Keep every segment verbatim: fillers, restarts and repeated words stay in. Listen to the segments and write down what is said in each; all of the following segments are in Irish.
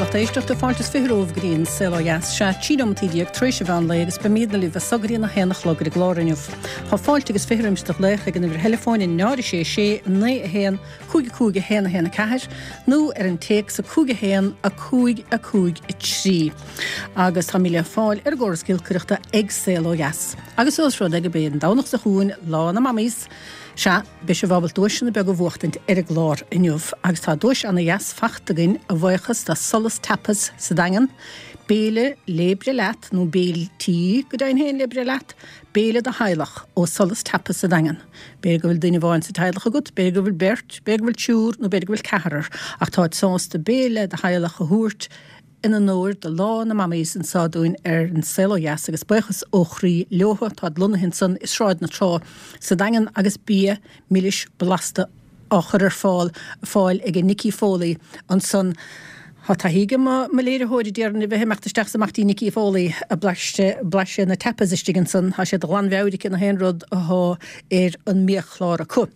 lucht éisteachta, fáilte is fiche romhaibh go dtí an Saol Ó Dheas. Sea, trí nóimeataí déag tar éis an mheán lae agus beimídne libh as so go dtí an a haon a chlog ar an gclár inniu. Tá fáilte agus fiche roimis do ghlaoch ag an uimhir theileafóin a náid a sé sé naoi a haon cúig a cúig a haon a haon a ceathair nó ar an téacs a cúig a haon a cúig a cúig a trí. Agus táimid le fáil ar an gcóras giolcaireachta ag Saol Ó Dheas. Agus ós rud é gurb é an Domhnach seo chugainn Lá na Mamaís, Sea, beidh sibh ábalta duaiseanna beaga a bhuachtaint ar an gclár inniu agus tá duais ana dheas fachta againn a bhuíochas do Solas Tapas sa Daingean, béile le breith leat nó béiltí go deimhin féin le breith leat, béile do theaghlach ó Solas Tapas sa Daingean. B'fhéidir go bhfuil duine amháin sa teaghlach agat, b'fhéidir go bhfuil beirt, b'fhéidir go bhfuil triúr nó b'fhéidir go bhfuil ceathrar ach táid sásta béile do theaghlach a thabhairt in onóir do Lá na Mamaís anso dúinn ar An Saol Ó Dheas agus buíochas ó chroí leothu. Táid lonnaithe ansan i Sráid na Trá sa Daingean agus bia milis blasta á chur ar fáil fáil ag Nicky Foley ansan. Tá taithí ag mo léiritheoir déarfainn a bheith ag imeacht isteach is amach dtí Nicky Foley ag blaiseadh na tapas istigh ansan. Tá siad de ghlanmheabhair aici na haon rud athá ar an mbiachlár acu.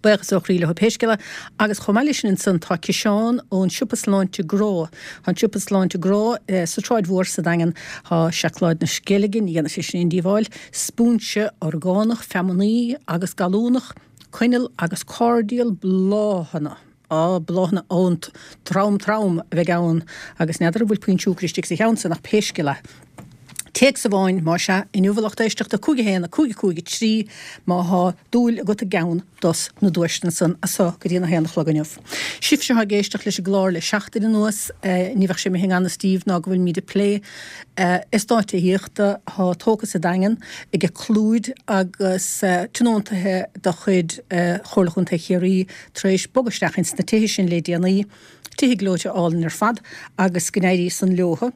Buíochas ó chroí leo pé scéal é. Agus chomh maith leis sin ansan tá ciseán ón Siopa Sláinte Grá. Tá an Siopa Sláinte Grá sa tSráid Mhór sa Daingean. Tá seacláid na Sceilge, ní dhéanfaidh sé sin aon díobháil, spúinse orgánach feamnaí agus gallúnach, coinneal agus cairdial bláthanna. Á, bláthanna ón trom trom a bheidh ann agus n'fheadar an bhfuil puinn siúcra istigh sa cheann san ach pé scéal é. Téacs amháin, más ea, inniu a lucht éisteachta, cúig a haon, a cúig a cúig a trí, má thá dúil agat i gceann dos na duaiseanna san as so go dtí an a haon a chlog inniu. Sibhse atá ag éisteacht leis an gclár le seachtain anuas, ní bheadh sé imithe i ngan fhios daoibh ná go bhfuilimíd ag plé eastáit tithíochta atá tógtha sa Daingean ag Clúid agus tionóntaithe de chuid Chomhairle Chontae Chiarraí tar éis bogadh isteach ins na tithe sin le déanaí, tithe gleoite álainn ar fad agus go n-éirí san leothu.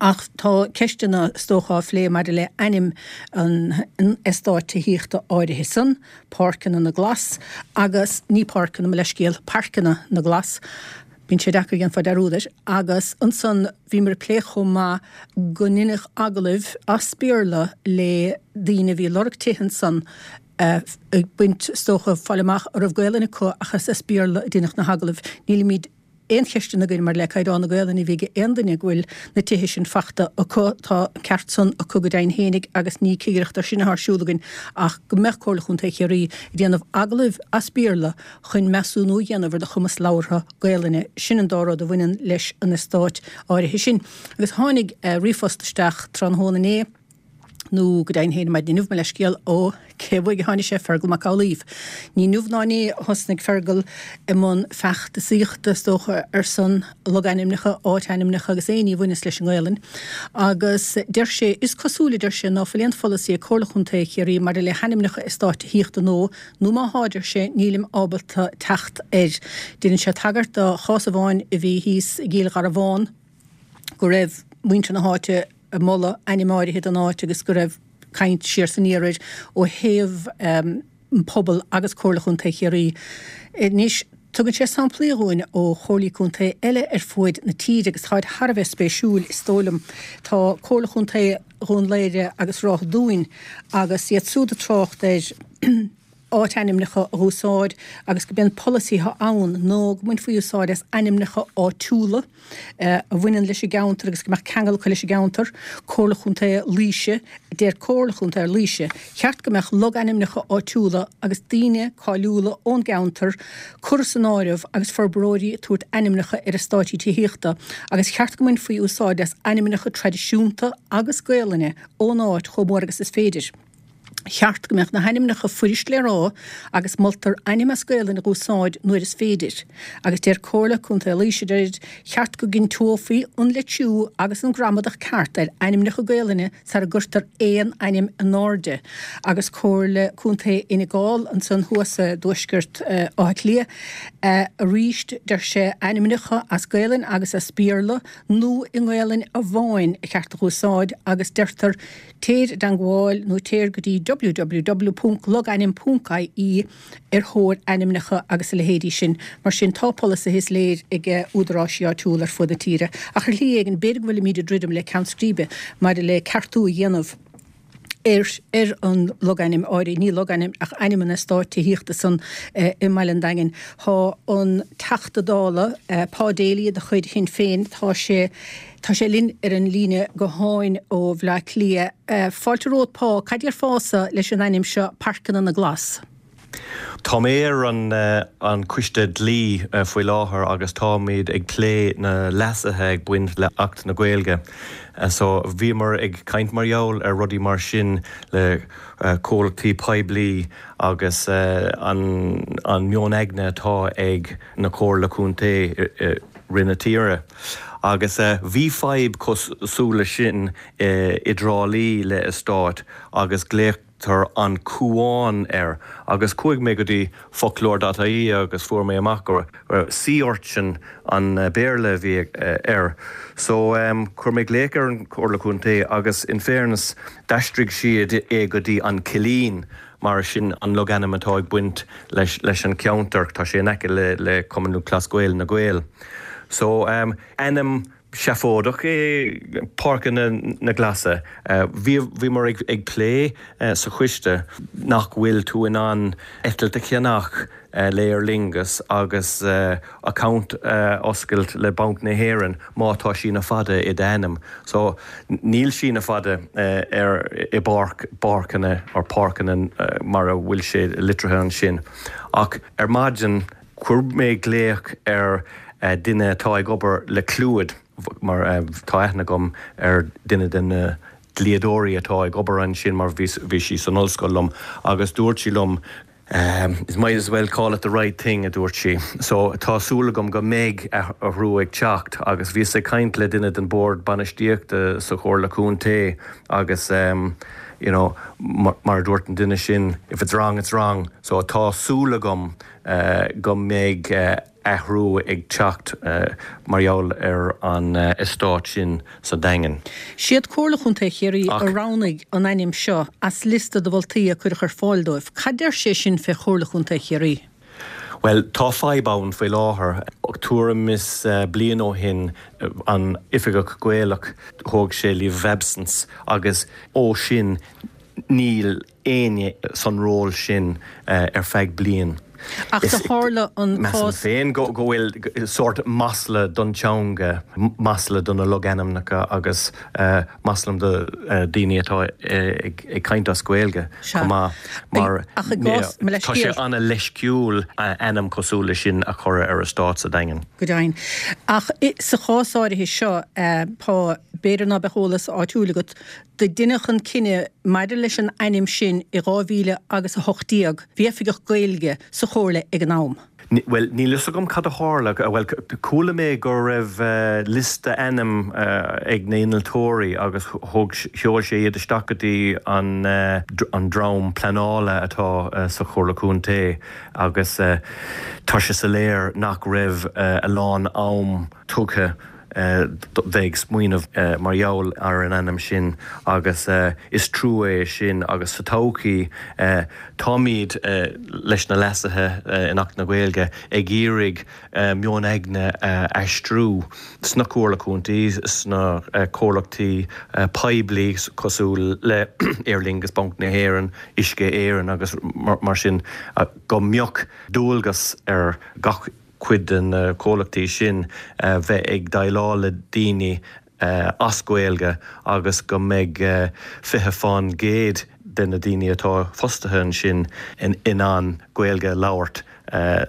Ach tá ceisteanna, is dócha, á phlé maidir le ainm an eastáit tithíochta áirithe san, Páirceanna na nGlas, agus ní Páirceanna, mo leithscéal, Pairceanna na nGlas, bíonn sé deacair, dhéanfá dearúd air, agus ansan bhíomar ag plé chomh maith go ndeineadh agallaimh as Béarla le daoine a bhí ag lorg tithe ansan, ag baint, is dócha, fáil amach an raibh Gaelainn acu ach is as Béarla a deineadh na hagallaimh. Nílimid. aon cheisteanna againn maidir le caighdeán na Gaelainne a bhí ag aon duine go bhfuil na tithe sin fachta acu. Tá an ceart san acu go deimhin fhéinig agus ní cigireacht ar sin atá ar siúl againn ach go mbeadh Comhairle Chontae Chiarraí ag déanamh agallaimh as Béarla chun measúnú a dhéanamh ar do chumas labhartha Gaelainne. Sin an dá rud a bhaineann leis an eastát áirithe sin. Agus tháinig ríomhphost isteach tráthnóna inné. nó go deimhin féin maidin inniu, mo leithscéal, ó cé uaidh a tháinig sé, Fergal Mac Amhlaoibh. Ní inniu ná inné a thosnaigh Fergal i mbun feachtasaíochta, is dócha, ar son logainmneacha, áitainmneacha agus aon ní a bhaineas leis an nGaelainn. Agus deir sé, is cosúil, a deir sé, ná fuil aon pholasaí ag Comhairle Chontae Chiarraí maidir le hainmneacha eastáit tithíochta nó, nó má thá, deir sé, nílim ábalta teacht air. Déanann sé tagairt do chás amháin a bhí thíos i gCill Gharbhán, go raibh muintir na háite ag moladh ainm áirithe don áit agus go raibh caint siar 's aniar air ó thaobh an pobal agus Comhairle Chontae Chiarraí. Anois, tugann sé samplaí dhúinn ó chomhairlí contae eile ar fuaid na tíre agus táid thar a bheith spéisiúil, is dóigh liom. Tá Comhairle Chontae Dhún Laoghaire agus Ráth Dúin agus iad siúd ag trácht ar áitainmneacha a dh'úsáid agus go mbíonn polasaithe ann nó go mbainfí úsáid as ainmneacha áitiúla a bhaineann leis an gceantar agus go mbeadh ceangal acu leis an gceantar. Comhairle Chontae Laoise, Deir Comhairle Chontae Laoise, cheart go mbeadh logainmneacha áitiúla agus daoine cáiliúla ón gceantar curtha san áireamh agus forbróirí ag tabhairt ainmneacha ar eastáití tithíochta agus cheart go mbainfí úsáid as ainmneacha traidisiúnta agus Gaolainne ón áit chomh mór agus is féidir. Cheart go mbeadh na hainmneacha fuirist le rá agus moltar ainm as Gaelainn a dh'úsáid nuair is féidir. Agus deir Comhairle Contae Laoise, deirid, cheart go gcinnteofaí an litriú agus an gramadach ceart ar ainmneacha Gaelainne sara gcuirtear aon ainm in airde. Agus Comhairle Contae Fhine Gall ansan thuas i dtuaisceart Átha Cliath arís, deir sé, ainmneacha as Gaelainn agus as Béarla nó i nGaelainn amháin a cheart a dh'úsáid agus deirtear Téir i dteangmháil nó téir go dtí www ponc logainm ponc ie ar thóir ainmneacha agus a leithéidí sin. Mar sin, tá polasaithe is léir ag údaráisí áitiúla ar fud na tíre. Ach ar shlí éigin, b'fhéidir go bhfuilimid ag druidim le ceann scríbe maidir le ceartú a dhéanamh ar ar an logainm áirithe, ní logainm ach ainm an eastáit tithíochta san eh, i mBaile an Daingin. Tá an Teachta Dála eh, Pa Daly de chuid Shinn Féin tá sé Tá sé linn ar an líne gutháin ó Bhleá Cliath. Eh, fáilte romhat Pa, cad déarfása leis an ainm seo Páirceanna na nGlas. Tá mé ar an uh, an coiste dlí uh, faoi láthair agus táimid ag plé na leasuithe ag baint le Acht na Gaeilge. Uh, so bhíomar ag caint mar gheall ar rudaí mar sin le uh, comhlachtaí poiblí agus uh, an, an meon aigne atá ag na Comhairle Contae uh, rin na tíre. Agus uh, bhí fadhb cosúil sin uh, i dTrá Lí le eastát agus glaotar an Cuan air agus chuaigh mé go dtí foclóir dot ie agus fuair mé amach gur sea urchin an Béarla bhí air. So um, chuir mé glaoch ar an Chomhairle Contae agus in fairness d'aistrigh siad é go dtí an Cillín mar sin an logainm atá ag baint leis, leis an ceantar tá sé in aice le, le Cumann Lúthchleas Gael na Gaeil. So um, ainm seafóideach é Páirceanna na Glasa. Uh, Bhíomar ag, ag plé uh, sa choiste nach bhfuil tú in ann eitilt a cheannach uh, le Aer Lingus agus uh, account uh, oscailt le Banc na hÉireann má tá síneadh fada i d'ainm. So níl síneadh fada uh, ar i bpáirc páirceanna or páirceanna uh, mar a bhfuil sé litrithe ansin. Ach ar maidin chuir mé glaoch ar uh, duine atá ag obair le Clúid mar uh, tá aithne agam ar duine den na dlíodóirí atá ag obair ansin mar bhí sí san ollscoil liom agus dúirt sí liom Um, it might as well call it the right thing a dúirt sí. So tá súil agam go mbeidh athrú ag teacht agus bhíos ag caint le duine den bord bainistíochta sa Chomhairle Contae agus um, you know, mar, mar dúirt an duine sin if it's wrong it's wrong. So tá súil agam uh, go mbeidh uh, athrú ag teacht uh, mar gheall ar an uh, eastát sin sa Daingean. Siad Comhairle Chontae Chiarraí a roghnaigh an ainm seo as liosta de mholtaí a cuireadh ar fáil dóibh. Cad deir sé sin fé Chomhairle Chontae Chiarraí? Well tá fadhb ann faoi láthair tuairim is uh, bliain ó shin an oifigeach Gaelach thóg sé leave of absence agus ó sin níl éinne san ról sin uh, ar feadh bliain. Ach do tharla an cás féin go go bhfuil sórt masla don teanga masla do na logainmneacha agus uh, masla do uh, daoine atá ag, ag caint as Gaeilge mar tá sé an-leisciúil ainm cosúil sin a chur ar eastát sa Daingean. Go deimhin. Ach sa chás áirithe seo pá b'fhéidir ná beadh eolas áitiúil agat do deineadh an cinneadh maidir leis an ainm sin i dhá mhíle agus a hocht déag, bhí oifigeach Gaeilge sa chomhairle ag an am. Well níl fhios agam cad a tharla well chuala mé go raibh uh, liosta ainm uh, ag na innealtóirí agus thug sheol sé iad isteach go dtí an uh, an dream pleanála atá uh, sa Chomhairle Contae agus uh, tá sé soiléir nach raibh uh, a lán am tugtha bheith ag smaoineamh mar gheall ar an ainm sin agus is trua é sin agus sa todhchaí táimid leis na leasuithe in Acht na Gaeilge ag iarraidh meon aigne aistriú sna comhairle contae sna comhlachtaí poiblí cosúil le Aer Lingus Banc na hÉireann Uisce Éireann agus mar sin go mbeadh dualgas ar gach cuid den na comhlachtaí sin bheith ag déileáil le daoine as Gaeilge agus go mbeidh fiche faoin gcéad de na daoine atá fostaithe ansin in in ann Gaeilge labhairt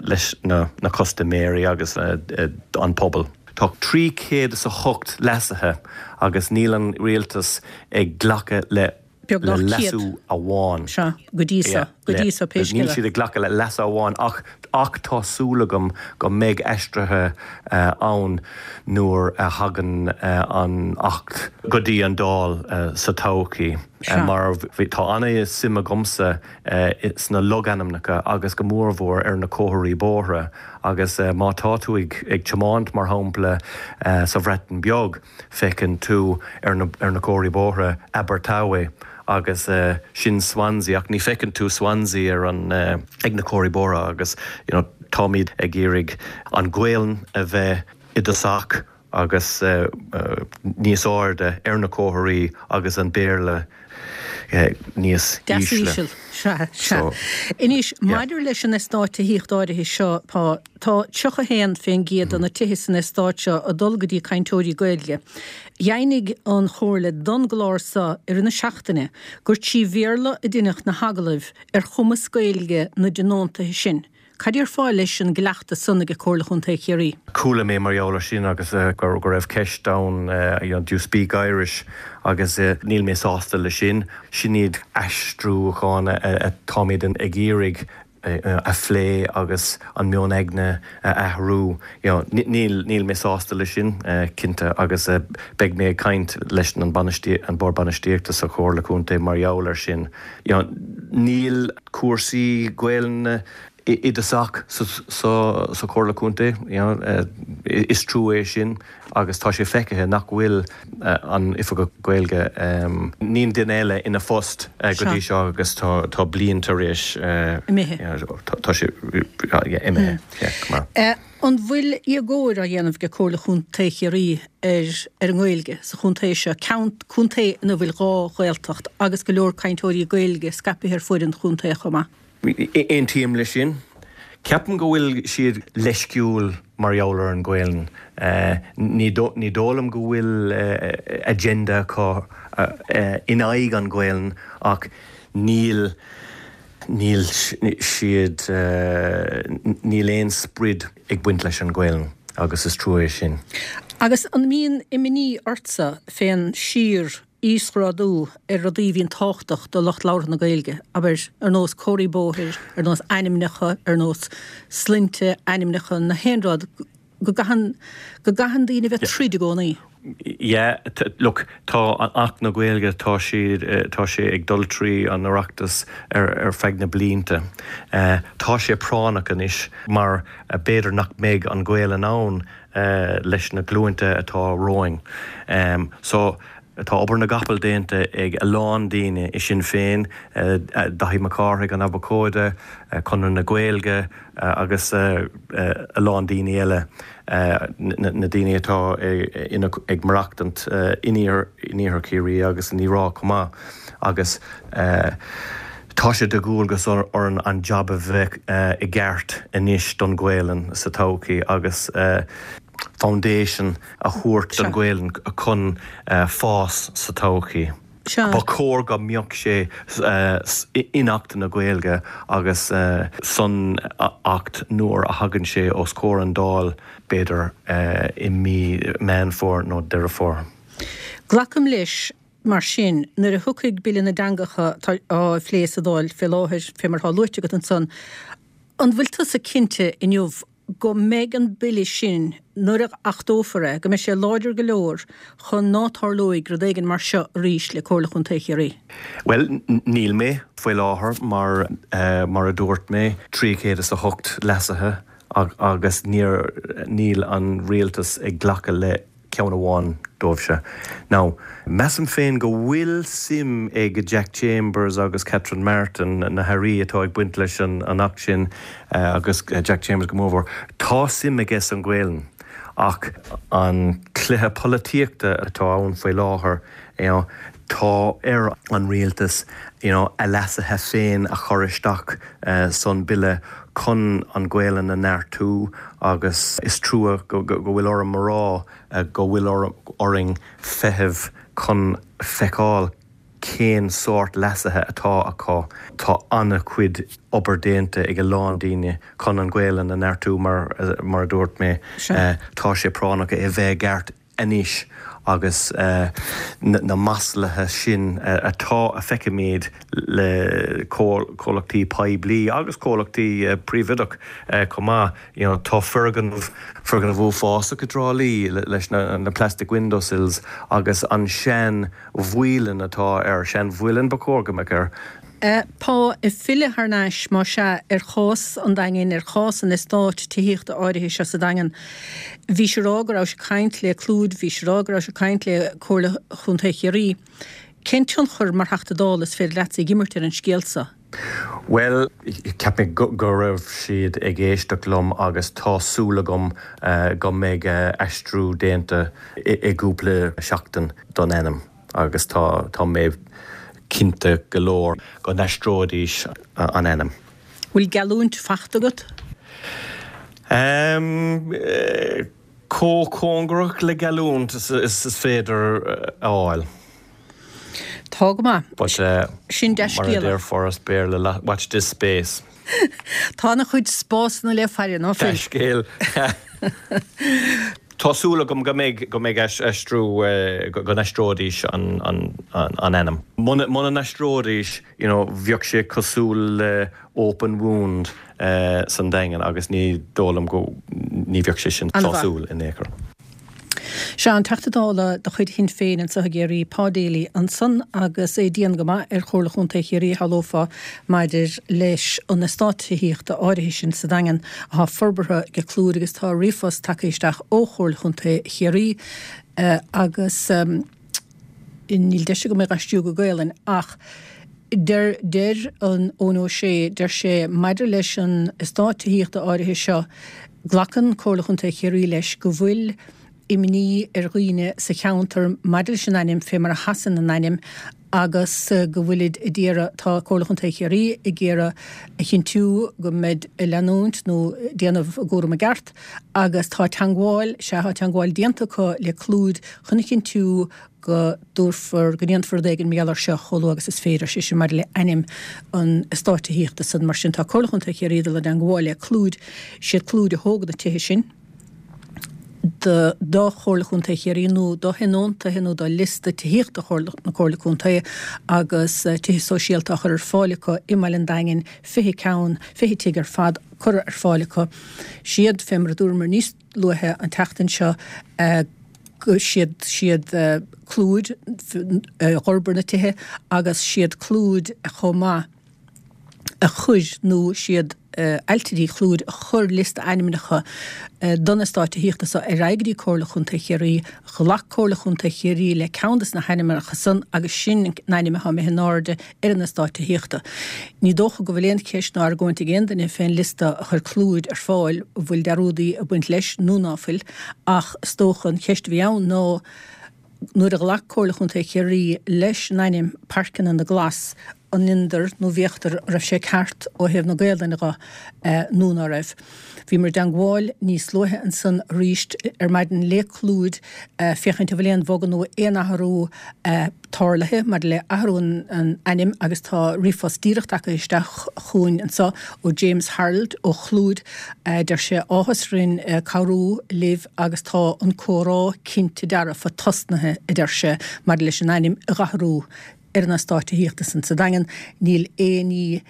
leis na, na custaiméirí agus an pobal. Tá trí chéad is a hocht leasuithe agus níl an rialtas ag glacadh le le leasú amháin. Sea, go dtí seo, go dtí seo pé Níl siad ag glacadh le leasú amháin ach ach tá súil agam go mbeidh aistrithe ann nuair a thagann an Acht go dtí an Dáil sa todhchaí. Mar tá an-suim agamsa sna logainmneacha agus go mórmhór ar na comharthaí bóithre agus má tá tú ag ag tiomáint mar shampla sa Bhreatain Bheag feiceann tú ar na, ar na comharthaí bóithre Abertawe agus uh, sin Swansea ach ní feiceann tú Swansea ar an uh, ag na comharthaí bóithre agus you know, táimid ag iarraidh an Ghaeilge a bheith i dtosach agus uh, uh, níos airde ar na comharthaí agus an Béarla níos ísle. Sea, sea. Anois, maidir leis an eastát tithíochta áirithe seo, pá, tá tríocha haon fén gcéad de na tithe san eastát seo ag dul go dtí cainteoirí Gaeilge. Dheimhnigh an Chomhairle don gclár seo i rith na seachtaine gur trí Bhéarla a deineadh na hagallaimh ar chumas Gaeilge na dtionóntaithe sin. Cad déarfá leis an gcleachtas san ag Comhairle Chontae Chiarraí? Chuala mé mar gheall air sin agus go raibh ceist ann you know, do you speak Irish agus níl mé sásta leis sin. Sin iad aistriúcháin atáimid ag iarraidh a phlé agus an meon aigne a athrú. Níl níl mé sásta leis sin cinnte agus beidh mé ag caint leis an an bord bainistíochta sa Chomhairle Contae mar gheall air sin. Níl cúrsaí Gaelainne i dtosach sa Chomhairle Contae, is trua é sin agus tá sé feicthe nach bhfuil an Oifigeach Gaeilge níl duine eile ina phost go dtí seo agus tá bliain tar éis imithe. Tá sé imithe. An bhfuil éagóir á dhéanamh ag Comhairle Chontae Chiarraí ar ar an nGaeilge sa chontae seo, contae ina bhfuil dhá Ghaeltacht agus go leor cainteoirí Gaeilge scaipthe ar fud an chontae chomh maith? Aontaím leis sin. Ceapaim go bhfuil siad leisciúil mar gheall ar an Ghaelainn. Ní dóigh liom go bhfuil agenda acu in aghaidh an Ghaelainn ach níl níl siad níl aon sprid ag baint leis an Ghaelainn agus is trua é sin. Agus an mbíonn imní ortsa fén síor íosghrádú ar rudaí a bhíonn tábhachtach do lucht labhartha na Gaeilge, abair, ar nós comharthaí bóthair, ar nós ainmneacha, ar nós sloinnte, ainmneacha, na haon rud, go gcaitheann, go gcaitheann daoine a bheith tríd i gcónaí. Yeah, look, tá Acht na Gaeilge, tá siad, tá sé ag dul trí an Oireachtas ar, ar feadh na blianta. Tá sé práinneach anois mar b'fhéidir nach mbeidh an Ghaelainn ann leis na glúinte atá romhainn. So, Tá obair na gcapall déanta ag a lán daoine i Sinn Féin, Daithí Mac Cárthaigh, an Abhcóide, Conradh na Gaeilge agus a lán daoine eile, na daoine atá ag maireachtaint in iarthar Chiarraí agus in Uíbh Ráthach chomh maith. Agus tá sé de dhualgas orainn an jab a bheith i gceart anois don Ghaelainn sa todhchaí agus foundation a thabhairt don Ghaelainn chun fás sa todhchaí. Ba chóir go mbeadh sé in Acht na Gaeilge agus san Acht nuair a thagann sé os comhair an Dáil, b'fhéidir i mí Meán Fómhair nó Deireadh Fómhair. Glacaim leis, mar sin, nuair a thiocfaidh Bille na dTeangacha atá á phlé sa Dáil fé láthair, fé mar atá luaite agat ansan, an bhfuil tusa cinnte inniu go mbeidh an bille sin, nuair a achtófar é, go mbeidh sé láidir go leor chun ná tarlóidh rud éigin mar seo arís le Comhairle Chontae Chiarraí? Bhuel, níl mé faoi láthair mar, mar a dúirt mé, trí chéad is a hocht leasuithe agus níor, níl an rialtas ag glacadh le ceann amháin dóibh seo. Now, measaim féin go bhfuil suim ag Jack Chambers agus Catherine Martin, na hairí atá ag baint leis an Acht sin, agus Jack Chambers go mórmhór, tá suim aige san Ghaelainn ach an cluiche polaitíochta atá ann faoi láthair, you know, tá ar an rialtas, you know, a leasuithe féin a chur isteach san bille chun an Ghaelainn a neartú agus is trua go bhfuil orm a rá go bhfuil orainn feitheamh chun feiceáil cén sórt leasuithe atá acu. Tá an-chuid obair déanta ag a lán daoine chun an Ghaelainn a neartú mar mar a dúirt mé tá sé práinneach é a bheith i gceart anois agus na maslaithe sin atá a feicimid le comhlachtaí poiblí agus comhlachtaí príobháideach chomh maith. You know, tá foirgneamh, foirgneamh uafásach i dTrá Lí leis na plastic window sills agus an sean mhuileann atá air, sean mhuileann ba chóir go mbeadh air. Pá, ag filleadh thar n-ais, más ea, ar chás an Daingin, ar chás an eastáit tithíochta áirithe seo sa Daingean, bhís ag rá go rabhais ag caint le Clúid, bhís ag rá go rabhais ag caint le Comhairle Chontae Chiarraí. Cén tionchar mar Theachta Dála is féidir leatsa ag imirt ar an scéal seo? Bhuel, cheap mé go raibh siad ag éisteacht liom agus tá súil agam go mbeidh aistriú déanta i gcúpla seachtain don ainm agus tá mé cinnte go leor go n-aistreoidís an ainm. Bhfuil geallúint faighte agat? Um, Chomh cóngarach le geallúint is, is, is féidir a fháil. Tá go maith. But uh, Sin mar a dea-scéala. déarfá as Béarla, watch this space. Tá an-chuid spásanna le faire ná fuil. Scéal. Tá súil agam go mbeidh go mbeidh aistriú go n-aistreoidís an, an, an, an ainm. Muna n-aistreoidís you know, bheadh sé cosúil le open wound uh, san Daingean agus ní dóigh liom go ní bheadh sé sin sásúil in aon chor. Sé an Teachta Dála de chuid Shinn Féin anseo i gCiarraí Pa Daly ansan agus é dian go maith ar Chomhairle Chontae Chiarraí shamhlófá maidir leis an eastát tithíochta áirithe sin sa Daingean atá forbartha ag Clúid agus tá ríomhphost tagtha isteach ó Chomhairle Chontae Chiarraí uh, agus um, níl deis agam é aistriú go Gaelainn ach deir deir an Eoin Ó Sé deir sé maidir leis an eastát tithíochta áirithe seo glacann Comhairle Chontae Chiarraí leis go bhfuil imní ar dhaoine sa cheantar maidir leis an ainm fé mar a sheasann an ainm agus go bhfuilid ag iarraidh tá Comhairle Chontae Chiarraí ag iarraidh a chinntiú go mbeid leanúint nó déanamh a gcúram i gceart agus tá teagmháil sé tá teagmháil déanta acu le Clúid chun a chinntiú go dtabharfar go ndéanfar rud éigin mar gheall air seo chomh luath agus is féidir sé sin maidir le ainm an eastáit tithíochta san mar sin tá Comhairle Chontae Chiarraí dul i dteagmháil le Clúid siad Clúid a thóg na tithe sin. do do Chomhairle Chontae Chiarraí nó do thionóntaithe nó do liosta tithíochta na Comhairle Contae agus uh, tithe sóisialta a chur ar fáil acu i mBaile an Daingin fiche ceann fiche tigh ar fad curtha ar fáil acu. Siad fé mar a dúramar níos luaithe an tseachtain seo uh, go siad siad uh, Clúid uh, d'fhorbair na tithe agus siad Clúid chomh maith a chuir nó siad uh, ailtirí Chlúid a chuir liosta ainmneacha uh, don eastát tithíochta seo ar aghaidh go dtí Comhairle Chontae Chiarraí, ghlac Comhairle Chontae Chiarraí le ceann des na hainmneacha san agus sin an ainm atá imithe in airde ar an eastát tithíochta. Ní dócha go bhfuil aon cheist ná argóint ag aon duine fén liosta a chuir Clúid ar fáil bhfuil dearúdaí ag baint leis nó ná fuil, ach is dócha an cheist a bhí ann ná nuair a ghlac Comhairle Chontae Chiarraí leis an ainm Páirceanna na nGlas an ndéantar nó bhféachtar raibh sé ceart ó thaobh na Gaelainne de nó ná raibh. Bhíomar i dteagmháil níos luaithe ansan arís ar maidin le Clúid féachaint an bhfuil aon bhogadh nó aon athrú tarlaithe maidir le athrú an ainm agus tá ríomhphost díreach tagtha isteach chugainn anseo ó James Harold ó Chlúid deir sé áthas orainn cabhrú libh agus tá an comhrá cinnte dearfa tosnaithe a deir sé maidir leis an ainm a dh'athrú ar an eastát tithíochta san sa Daingean níl aon ní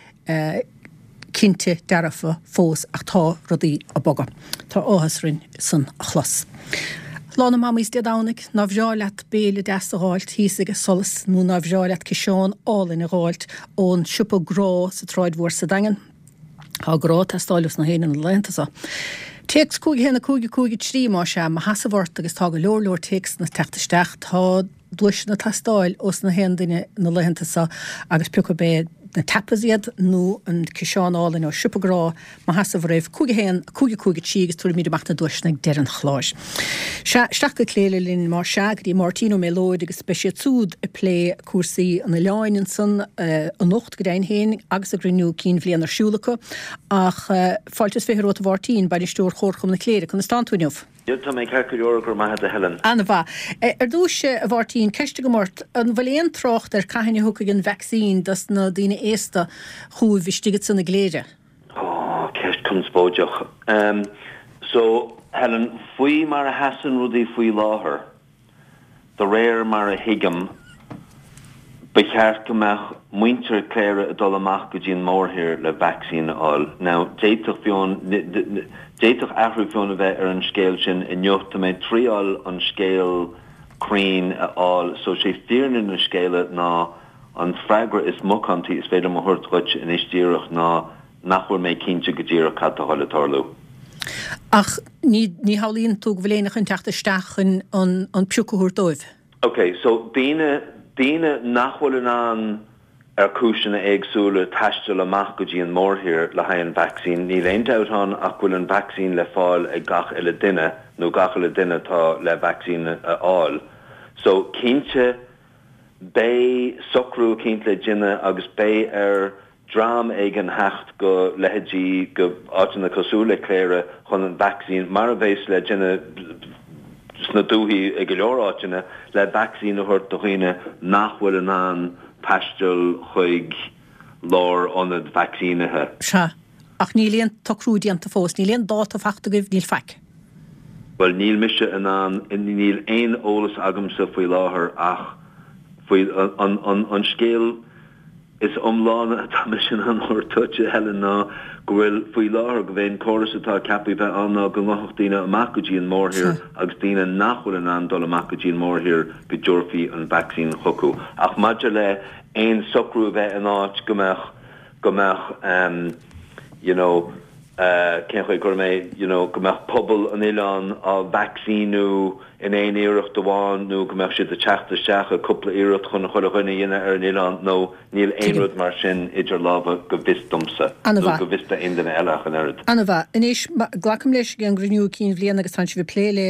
cinnte dearfa fós ach tá rudaí ag bogadh. Tá áthas orainn san a chlos. Lá na Mamaí Dé Domhnaigh ná bhreá leat béile deas a dh'fháilt thíos ag Solas nó ná bhreá leat ciseán álainn a dh'fháilt ón siopa Grá sa tSráid Mhór sa Daingean. Tá grá ag teastáil ós na héinne na laethanta seo. Téacs cúig a haon a cúig a cúig a trí má sea mo sheasamh ort agus tá go leor leor téacsanna ag teacht isteach tá duaiseanna ag teastáil ós na haon duine na laethanta seo agus pé acu é na tapas iad nó an ciseán álainn ó siopa Grá mo sheasamh oraibh cúig a haon cúig a cúig a trí agus tabharfaimid amach na duaiseanna ag deireadh an chláir. Sea, isteach go Cléire linn má sea go dtí Máirtín Ó Méalóid agus beidh siad súd ag plé cúrsaí an oileáin ansan anocht go deimhin féin agus a gcruinniú cinn bhliana ar siúl acu ach fáilte is fiche romhat a Mháirtín, bainisteoir Chomharchumann na Cléire, conas tánn tú inniu? Tá mé ceart go leor go raibh maith agat a Helen. An-mhaith. Ar dtús, a Mháirtín, ceist agam ort, an bhfuil aon trácht ar cathain a thiocfaidh an vacsaín dos na daoine aosta chugaibh istigh ansan i gCléire? Ó, ceist conspóideach. Um, so, Helen, faoi mar a sheasann rudaí faoi láthair, de réir mar a thuigim, ba cheart go mbeadh muintir Chléire ag dul amach go dtí an mórthír le vacsaín a fháil. Now, d'fhéadfadh fiú, d'fhéadfadh athrú fiú a bheith ar an scéal sin inniu, tá mé ag triáil an scéal cruinn a fháil. So sé fírinne na scéala ná an freagra is macántaí is féidir liom a thabhairt dhuit anois díreach ná nach bhfuil mé cinnte go díreach cad tá le tarlú. Ach ní ní shamhlaíonn tú go bhfuil éinne chun teacht isteach chun an an pioc a thabhairt dóibh? Ok, so daoine daoine nach bhfuil in ann ar chúiseanna éagsúla taisteal amach go dtí an mórthír le haghaidh an vacsaín, níl aon dabht ann ach go bhfuil an vacsaín le fáil ag gach uile duine nó gach uile duine atá le vacsaín a fháil. So cinnte Beidh socrú eicínt le déanamh agus beidh ar dream éigin theacht go leithéidí go áiteanna cosúil le Cléire chun an vacsaín, mar a bheas le déanamh sna dúthaí i go leor áiteanna, le vacsaín a thabhairt do dhaoine nach bhfuil in ann taisteal chuig lárionad vacsaínithe. Sea, ach níl aon tsocrú déanta fós, níl aon dáta faighte agaibh, níl faic. Bhuel, níl mise in ann, níl aon eolas agamsa faoi láthair ach faoi an, an, an scéal is iomláine atá mise in ann a thabhairt duit, a Helen, ná go bhfuil faoi láthair, go bhfuil an córas atá ceaptha bheith ann ná go ngabhfadh daoine amach go dtí an mórthír agus daoine nach bhfuil in ann dul amach go dtí an mórthír go dtabharfaí an vacsaín chucu. Ach maidir le aon socrú a bheith in áit go mbeadh, go mbeadh you know cén chaoi a gcuirfidh mé you know go mbeadh pobal an oileáin á vacsaíniú in aon iarracht amháin nó go mbeadh siad ag teacht isteach i cúpla iarracht chun chuile dhuine a dhéanamh ar an oileán nó níl aon rud mar sin idir lámha go bhfios domsa nó go bhfios d'aon duine eile ach an oiread. An-mhaith. Anois, glacaim leis ag an gcruinniú cinn bhliana agus tánn sibh ag plé le,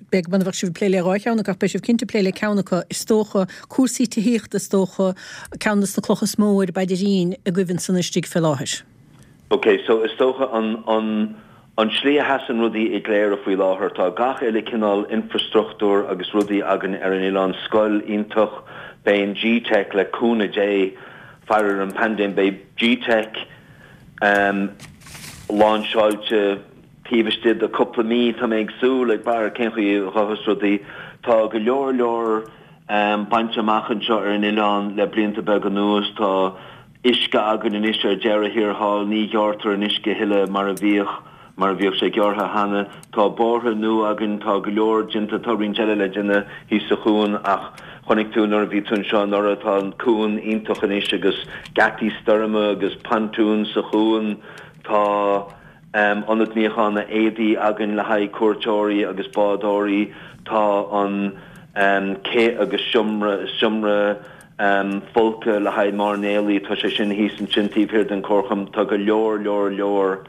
b'fhéidir muna bheadh sibh ag plé le dhá cheann acu ach beidh sibh cinnte ag plé le ceann acu, is dócha, cúrsaí tithíochta is dócha, ceann de na clocha is mó ar an bpaidirín agaibh ansan istigh fé láthair. Ok, so is dócha an, an, an tslí a sheasann rudaí i gCléire faoi láthair, tá gach uile cineál infreastruchtúr agus rudaí againn ar an oileán, scoil iontach, beidh an G-Teic le cúnamh Dé, faire ar an bpaindéim, beidh G-Teic ehm láinseáilte taobh istigh de cúpla mí, tá mé ag súil, ag brath ar cén chaoi a ghabhfas rudaí. Tá go leor leor ehm bainte amach anseo ar an oileán le blianta beaga anuas, tá uisce againn anois ar deireadh thiar thall, ní ghearrtar an uisce a thuilleadh mar a bhíodh, mar a bhíodh sé gearrtha cheana. Tá bóithre nua againn, tá go leor déanta, tá roinnt eile le déanamh thíos sa chuan ach chonaic tú nuair a bhí tú anseo anuraidh, tá an cuan iontach anois agus geataí stoirme agus pontúin sa chuan, tá ionad níocháin éadaí againn le haghaidh cuairteoirí agus bádóirí, tá an cé agus seomra, seomra folctha le haghaidh mairnéalaigh, tá sé sin thíos ansin taobh thiar den chomharchumann, tá go leor, leor, leor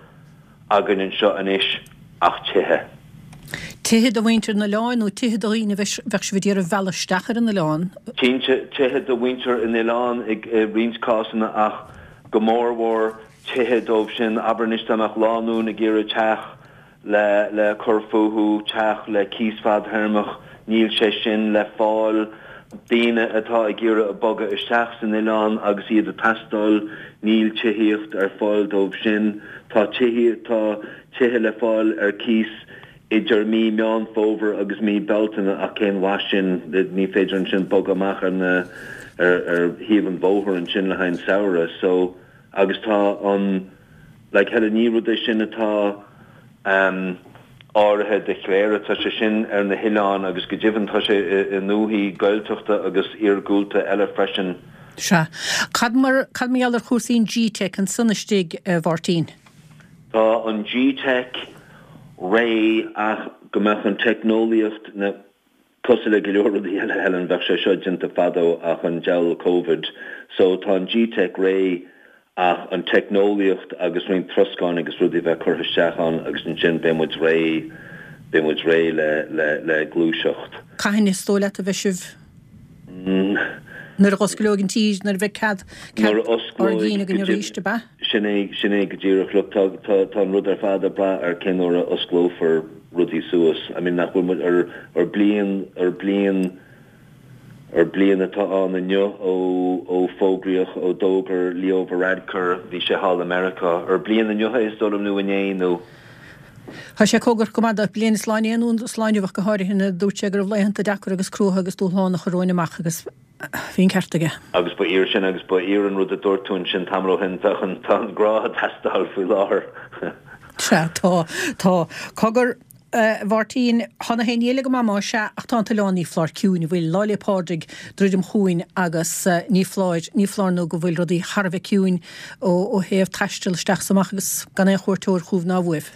againn anseo anois ach tithe. Tithe do mhuintir an oileáin nó tithe do dhaoine a bheadh sibh ag iarraidh a mhealladh isteach ar an oileán? Cinnte, tithe do mhuintir an oileáin i roinnt cásanna ach go mórmhór tithe dóibh sin, abair anois dá mbeadh lánúin ag iarraidh teach le le cur fúthu, teach le cíos fadthéarmach, níl sé sin le fáil. Daoine atá ag iarraidh bogadh isteach san oileán agus iad ag teastáil, níl tithíocht ar fáil dóibh sin. Tá tithíocht, tá tithe le fáil ar cíos idir mí Meán Fómhair agus mí Bealtaine ach cén mhaith sin, ní féidir ansin bogadh amach ar na, ar ar thaobh an bhóthair ansin le haghaidh an samhradh. So, agus tá an. Like Helen, ní rud é sin atá ehm áirithe do Chléire, tá sé sin ar na hoileáin agus go deimhin tá sé i ndúthaí Gaeltachta agus iargúlta eile freisin. Sea. Cad mar, cad mar gheall ar chúrsaí an G-Teic ansan istigh, a Mháirtín? Tá an G-Teic réidh ach go mbeadh an teicneolaíocht, na, cosúil le go leor rudaí eile, Helen, bheadh sé seo déanta fadó ach an diabhal Covid. So tá an G-Teic réidh ach an teicneolaíocht agus roinnt troscáin agus rudaí a bheith curtha isteach ann agus ansin beidh muid réidh, beidh muid réidh le, le, le gluaiseacht. Cathain is dóigh leat a bheidh sibh? Nuair a osclóidh an tír, nuair a bheidh cead, cead Nuair a ár osclóidh gcinn go againn arís, deimhin, ab ea? sin é, sin é go díreach. Look, tá, tá, tá an rud ar fad ag brath ar cén uair a osclófar rudaí suas. I mean, nach bhfuil muid ar, ar bliain, ar bliain, Ar bliain atá ann inniu ó ó fógraíodh, ó d'fhógair Leo Varadkar, bhí sé thall i Meiriceá. Ar bliain inniu é is dóigh liom nó inné nó. Tá sé cóngarach go maith do bliain is lá inné nó is lá inniu ach go háirithe nuair a dúirt sé go raibh laethanta deacra agus cruaithe agus dúshlánacha romhainn amach agus bhí an ceart aige. Agus ba fhíor sin agus ba fhíor an rud a dúirt tú ansin tamall ó shin, bheadh an, tá an grá ag teastáil faoi láthair. Sea, tá, tá. Cogar. A Mháirtín, Tá na héinne eile go maith más ea, ach tá an t-oileán ní foláir ciúin, an bhfuil? Lá 'le Pádraig druidim chugainn agus ní foláir, ní foláir nó go bhfuil rudaí thar a bheith ciúin ó thaobh taisteal isteach is amach agus gan aon chuairteoir chugaibh ná uaibh.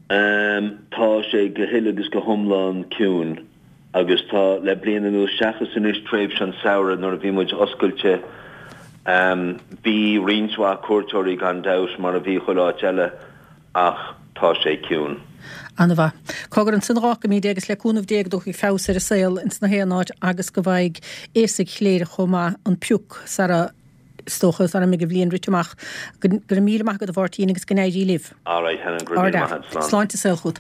Tá sé go huile agus go hiomlán ciúin agus tá le bliain anuas, seachas anois tréimhse an tsamhraidh nuair a bhí muid oscailte, bhí roinnt mhaith cuairteoirí gan dabht mar a bhí chuile áit eile ach tá tá sé ciúin. Ana-mhaith. Cogar ansin a dh'fhágfaimid é agus le cúnamh Dé go dtiocfaidh feabhas ar an saol ins na haon áit agus go bhfaighidh aosaigh Chléire chomh maith an pioc sara, is dócha, sara mbeidh an bhliain rite amach. Go raibh míle maith agat a Mháirtín agus go n-éirí libh. Alright Helen, go raibh míle maith agat. Slán. Sláinte is saol chugat.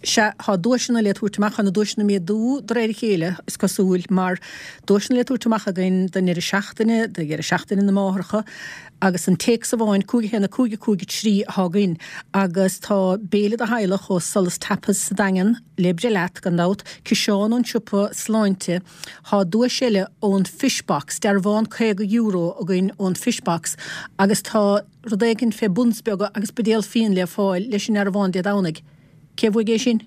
Sea, tá duaiseanna le tabhairt amach, tá na duaiseanna ag méadú de réir a chéile, is cosúil, mar duaiseanna le tabhairt amach againn don deireadh seachtaine, do dheireadh seachtaine na máithreacha, agus an téacs amháin, cúig a haon a cúig a cúig a trí atá againn, agus tá béile do theaghlach ó Solas Tapas sa Daingean le breith leat, gan dabht, ciseán ón siopa sláinte, tá duais eile ón Fish Box, dearbhán caoga euro againn ón Fish Box, agus tá rud éigin fé buns beaga agus buidéal fíon le fáil leis an ndearbhán Dé Domhnaigh. Cé a bhuaigh é sin?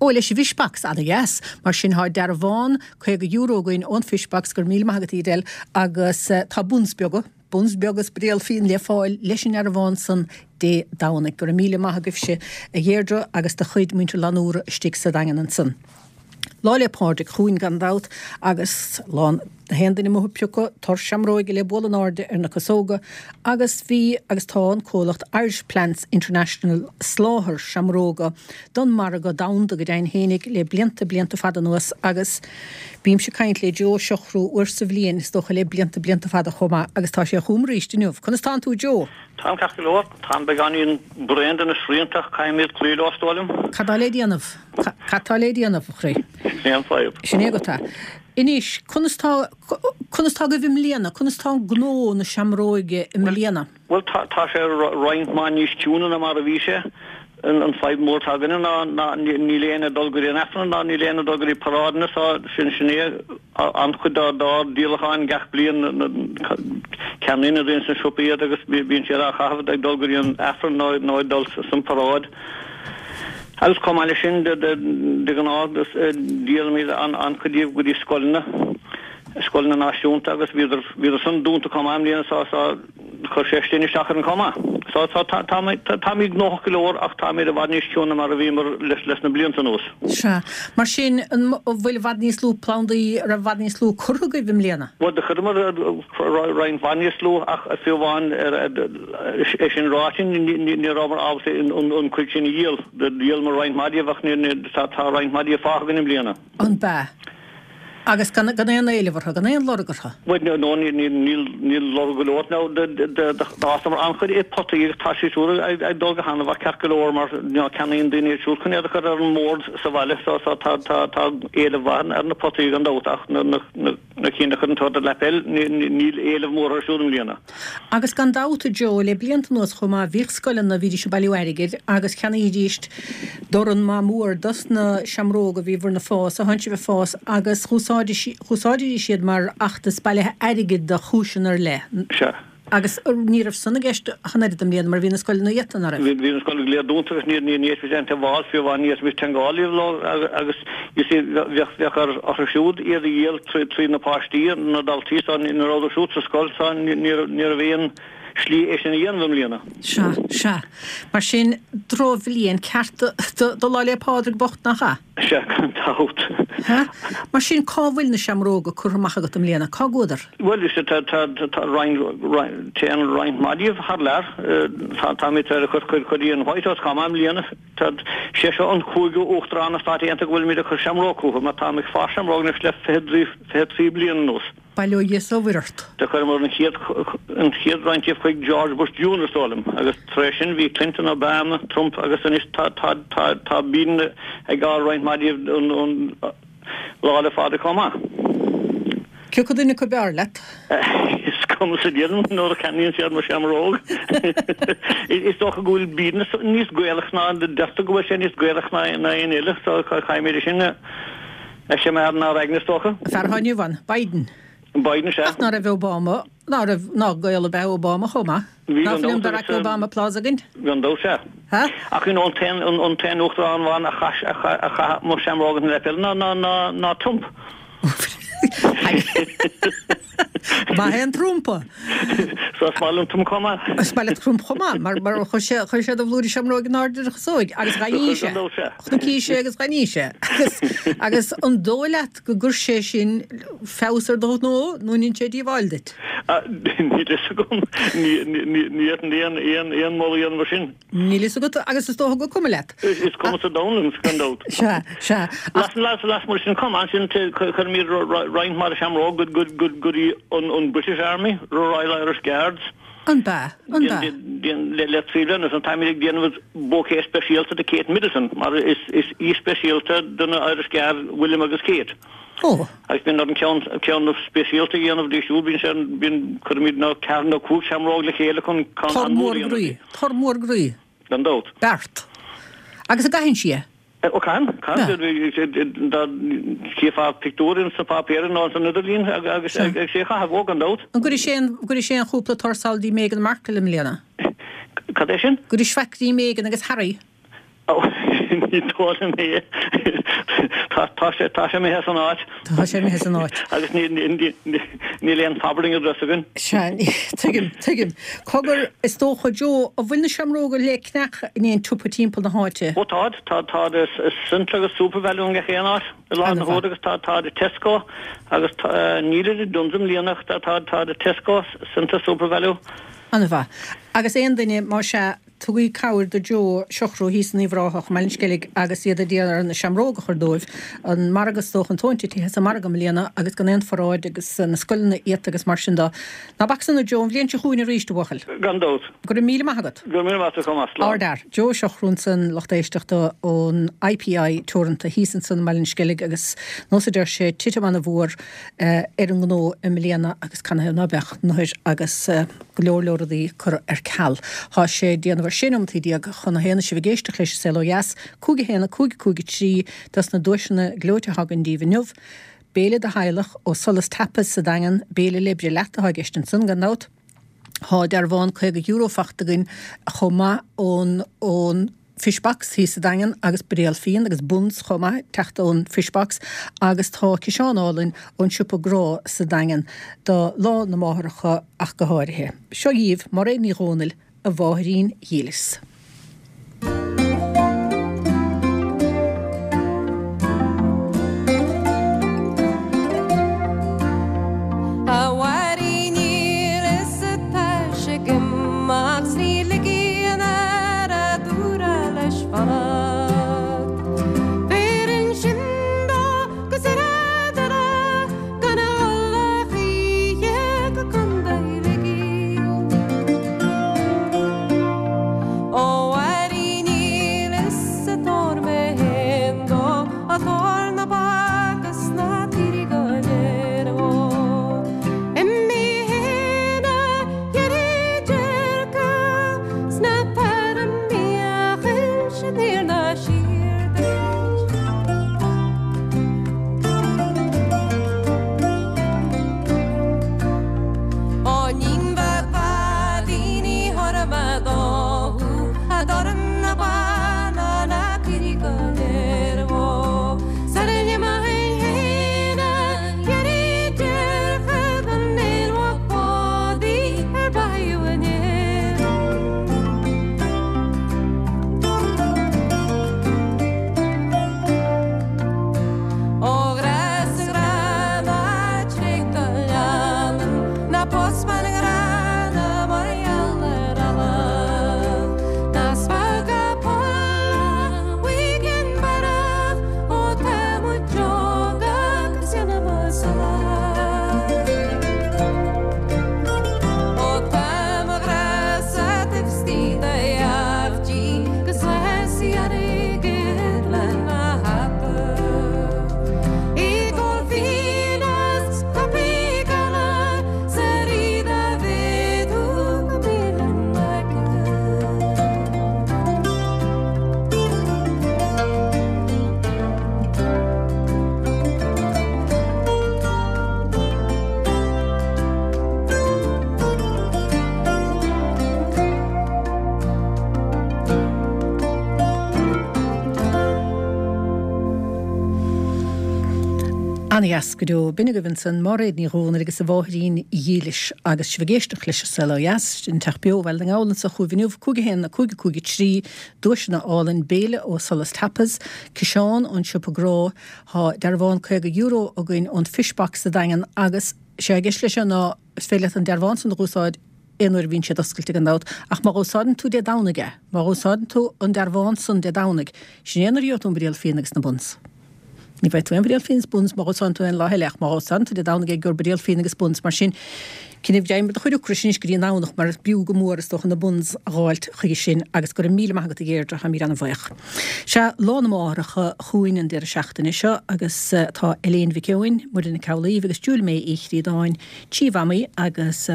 Ó, leis an bhFish Box, ana-dheas. Mar sin tá dearbhán caoga euro againn ón Fish Box, go raibh míle maith agat Edel, agus tá buns beaga, buns beaga is buidéal fíon le fáil leis an ndearbhán san Dé Domhnaigh. Go raibh míle maith agaibhse a Dheirdre agus do chuid muintir Fhlannúra istigh sa Daingean ansan. Lá 'le Pádraig chugainn gan dabht agus lá na haon duine amuigh ag piocadh tor seamróige le bualadh in airde ar na casóga agus bhí agus tá an comhlacht Irish Plants International ag soláthar seamróga don margadh domhanda go deimhin fhéinig le blianta blianta fada anuas agus bímse ag caint le Joe Ó Siochrú uair sa bhliain is dócha le blianta blianta fada chomh maith agus tá sé chugam arís inniu. Conas tánn tú Joe? Táim ceart go leor. Táim beagáinín bréan de na srianta ach caithfimid cloí leo is dóigh liom. Cad tá le déanamh? Cad tá le déanamh, a chroí? Sin é an fadhb. Sin é agat é. Anois, conas tá, conas tá agaibh i mbliana? Conas tá an gnó na seamróige i mbliana? Bhuel, tá, tá sé roinnt mhaith níos ciúine ná mar a bhí sé. An fadhb mór atá againne ná, ná níl éinne ag dul go dtí an Aifreann ná níl éinne ag dul go dtí paráideanna so sin, sin é an-chuid dár, dár díolacháin gach bliain. Ceannaíonn na daoine sna siopaí iad agus bíonn siad á chaitheamh ag dul go dtí an Aifreann nó, nó ag dul san paráid. Agus chomh maith leis sin, de ghnáth, díolaimid an-chuid díobh go dtí scoileanna, scoileanna náisiúnta agus bhíodar, bhíodar san dúnta chomh maith i mbliana so, so chuir sé sin isteach orainn chomh maith. So, so tá, táimid, táimid gnóthach go leor ach táimid i bhfad níos ciúine mar a bhíomar leis, leis na blianta anuas. Sea. Mar sin, an bhfuil i bhfad níos lú plandaí, raibh i bhfad níos lú curtha agaibh i mbliana? Bhuel, do chuireamar roinnt mhaith níos lú ach fiú amháin é sin ráite, ní rabhamar ábalta an chuid sin a dhíol. Dhíolamar roinnt mhaith díobh ach tá roinnt mhaith díobh fágtha againn i mbliana. An b'ea? Agus gan aon éileamh orthu, gan aon lorg orthu? Bhuel, no, níl lorg go leor. Now, d'fhásamar an-chuid i potaí agus tá siad siúd ag dul go han-mhaith ceart go leor mar ceannaíonn daoine iad siúd chun iad a chur ar an mbord sa bhaile so tá éileamh mhaith ar na potaí gan dabht ach na Na cinn a chuireann tú ar do lapel, níl éileamh mór orthu siúd i mbliana. Agus gan dabht, a Joe, le blianta anuas chomh maith, bhíodh scoileanna, bhídís ag bailiú airgid agus cheannaídís dorn maith mór dos na seamróga a bhí bhur bhfás, a thánn sibh ag fás, agus dh'úsáididís iad mar fheachtas bailithe airgid do chúiseanna ar leith. Sea. Agus ní raibh san i gceist ach an oiread i mbliana mar bhí na scoileanna iata, ná raibh? Bhí na scoileanna go léir dúnta agus ní ní fhéadfaimis aon teagmháil, fiú amháin ní fhéadfaimis teagmháil leo agus you see bheadh bheadh ar orthu siúd iad a dhíol trí trí na páistí, na daltaí so ní rabhadar siúd sa scoil so ní ní raibh ní raibh aon slí é sin a dhéanamh i mbliana. Sea, sea. Mar sin drochbhliain ceart do do Lá 'le Pádraig bocht nach ea? Sea, gan dabht. Sea. Mar sin, cá bhfuil na seamróga curtha amach agat i mbliana? Cá gcuadar? Bhuel, is ea, tá, tá, tá roinnt, roinnt, téann roinnt mhaith díobh thar lear. Tá, táimid tar éis cur cuid go dtí an White House chomh maith i mbliana. Tá, sé seo an cúigiú Uachtarán na Stát Aontaithe go bhfuilimid ag cur seamróg chucu, mar táim ag fás seamróg anois le fiche trí, fiche trí bliana anuas. Bail ó Dhia is ó Mhuire ort. Do chuireamar an chéad an chéad roinnt díobh chuig George Bush Junior is dóigh liom, agus tar éis sin bhí Clinton, Obama, Trump agus anois tá tá tá tá Biden ag fáil roinnt mhaith díobh don don Lá 'le Phádraig chomh maith. Cé acu duine acu b'fhearr leat? Is cuma sa Dia liom nuair a cheannaíonn siad mo sheamróg. Is dócha go bhfuil Biden níos Gaelach ná deirtear go bhfuil sé níos Gaelach ná ná aon eile so caithfimid é sin a A choimeád inár aigne is dócha. Fear atá inniu ann, Biden. Biden, sea. Ach ná raibh Obama, ná raibh, ná Gael ab ea Obama chomh maith? Bhí, Ná gan fuil an dabht, Barack agus, Obama Plaza againn? Gan dabht, sea. Ha? Ach you know, an t-aon, an t-aon uachtarán amháin a chaith, a chaith, a chaith mo sheamróg ina lapel ná, ná, ná, ná Trump. Maith é an trumpa. So is maith liom Trump chomh maith. Is maith leat Trump chomh maith, mar mar chuir sé chuir sé do bhlúirí seamróg in airde ar a chasóig agus gan ní sé. Chonaic sé agus gan ní sé. Agus agus an dóigh leat go gcuir sé sin feabhas ar do ghnó nó an ndein sé díobháil duit? Níl fhios agam. Ní ní aon aon aon moladh a dhéanamh mar sin. Níl fhios agat agus is dócha gur cuma leat. Is cuma sa domhan liom, gan dabht. Sea, sea. Las las lasmuigh sin chomh maith sin cuirimid roinnt mhaith de sheamróg go go go go dtí an an British Army, Royal Irish Guards. An b'ea? An b'ea? Le le trí bliana anois táimid ag déanamh bouquet speisialta do Kate Middleton mar is is aoi speisialta do na Irish Guards William agus Kate. Ó. Agus bíonn orainn ceann ceann speisialta a dhéanamh di siúd bíonn sé bíonn cuirimid na ceathair nó cúig seamróg le chéile chun ceann Tor an-mhór mór a dhéanamh groí. di. Tor mór groí. Gan dabht. Beart. Agus an gcaitheann sí é? Ó caitheann, caitheann. Dá chífeá pictiúr ins na páipéir nó ins an idirlíon agus é á chaitheamh, ó gan dabht. An gcuirfidh sé an gcuirfidh sé an chúpla tor sall dtí Meghan Markle i mbliana? Cad é sin? Go dtí svaicrí Meghan agus Harry. Ó, ní dóigh liom é. Tá tá sé tá sé imithe as an áit. Tá sé imithe as an áit. Agus ní ní níl aon forwarding address againn. Sea, tuigim, tuigim. Cogar, is dócha, Joe, an bhfuil na seamróga le ceannach in aon tsiopa timpeall na háite? Ó táid, tá táid i Centra agus Supervalu i ngach aon áit i láthair na huaire agus tá táid i Tesco agus nílid i Dunnes i mbliana ach tá táid táid i Tesco, Centra, Supervalu. An-mhaith. Agus aon duine, más ea, Tugaigí cabhair do Joe Siochrú thíos in Uíbh Ráthach i mBaile an Sceilg agus iad ag iarraidh na seamróga a chur dóibh. An margadh is dócha, an tóin titithe as an margadh i mbliana agus gan aon pharáid agus na scoileanna iata agus mar sin de. Ná bac san a Joe, an bhliain seo chugainn arís, a bhuachaill. Gan dabht. Go raibh míle maith agat. Go raibh míle maith agat chomh maith. Slán. Ardfhear. Joe Siochrú ansan, lucht éisteachta ón IPI Teoranta thíos ansan i mBaile an Sceilg agus nós a deir sé, titim ana-mhór ar an ngnó i mbliana agus canathaobh ná beadh nuair agus go leor leor rudaí curtha ar ceal. Tá sé déanamh ar sé nóimeataí déag chun a haon is sibh ag éisteacht leis an Saol Ó Dheas, cúig a haon a cúig a cúig a trí dos na duaiseanna gleoite atá againn daoibh inniu. Béile do theaghlach ó Solas Tapas sa Daingean, béile le breith leat atá i gceist ansan gan dabht. Tá dearbhán caoga euro fachta againn chomh maith ón ón Fish Box thíos sa Daingean agus buidéal fíon agus buns chomh maith teacht ón Fish Box agus tá ciseán álainn ón Siopa Grá sa Daingean do Lá na Máithreacha ach go háirithe. Seo dhaoibh Mairéad Ní Dhomhnaill, A Mháithrín Dhílis. A Mháithrín dhílis tá sé ag imeacht 's ní ligfidh an fhear a dúradh leis fanacht. Beireann sin dó go saor doire gan a dhul a choíche go Contae Shligigh. Ó Ana-dheas go deo. B'in agaibh ansan Máiréad Ní Dhomhnaill agus a mháithrín dhílis agus sibh ag éisteacht leis an Saol Ó Dheas, an Teach Beo Bhaile na nGall anso chugaibh inniu, cúig a haon, cúig a cúig a trí, duaiseanna álainn, béile ó Solas Tapas, ciseán ón Siopa Grá, tá dearbhán caoga euro againn ón Fish Box sa Daingean agus sé i gceist leis seo ná is féidir leat an dearbhán san a dh'úsáid aon uair a bhíonn siad oscailte gan dabht, ach má dh'úsáideann tú Dé Domhnaigh é, má dh'úsáideann tú an dearbhán san Dé Domhnaigh, sin é an uair a gheobhaidh tú an buidéal fíona agus na buns. Ní bhfaighidh tú aon bhuidéal fíona is buns má dh'úsáideann tú aon lá eile ach má dh'úsáideann tú Dé Domhnaigh é gheobhair buidéal fíona agus buns mar sin cinneadh deimhin do chuid ocrais anois go dtí an Domhnach mar is b'fhiú go mór is dócha na buns a dh'fháilt chuige sin agus go raibh míle maith agat a Dheirdre táimid an-bhuíoch. Sea, Lá na Máithreacha chugainn an deireadh seachtaine seo agus tá Elaine Mhic Eoin, Muireann Nic Amhlaoibh agus Julie May Uí Chríodáin, trí mhamaí agus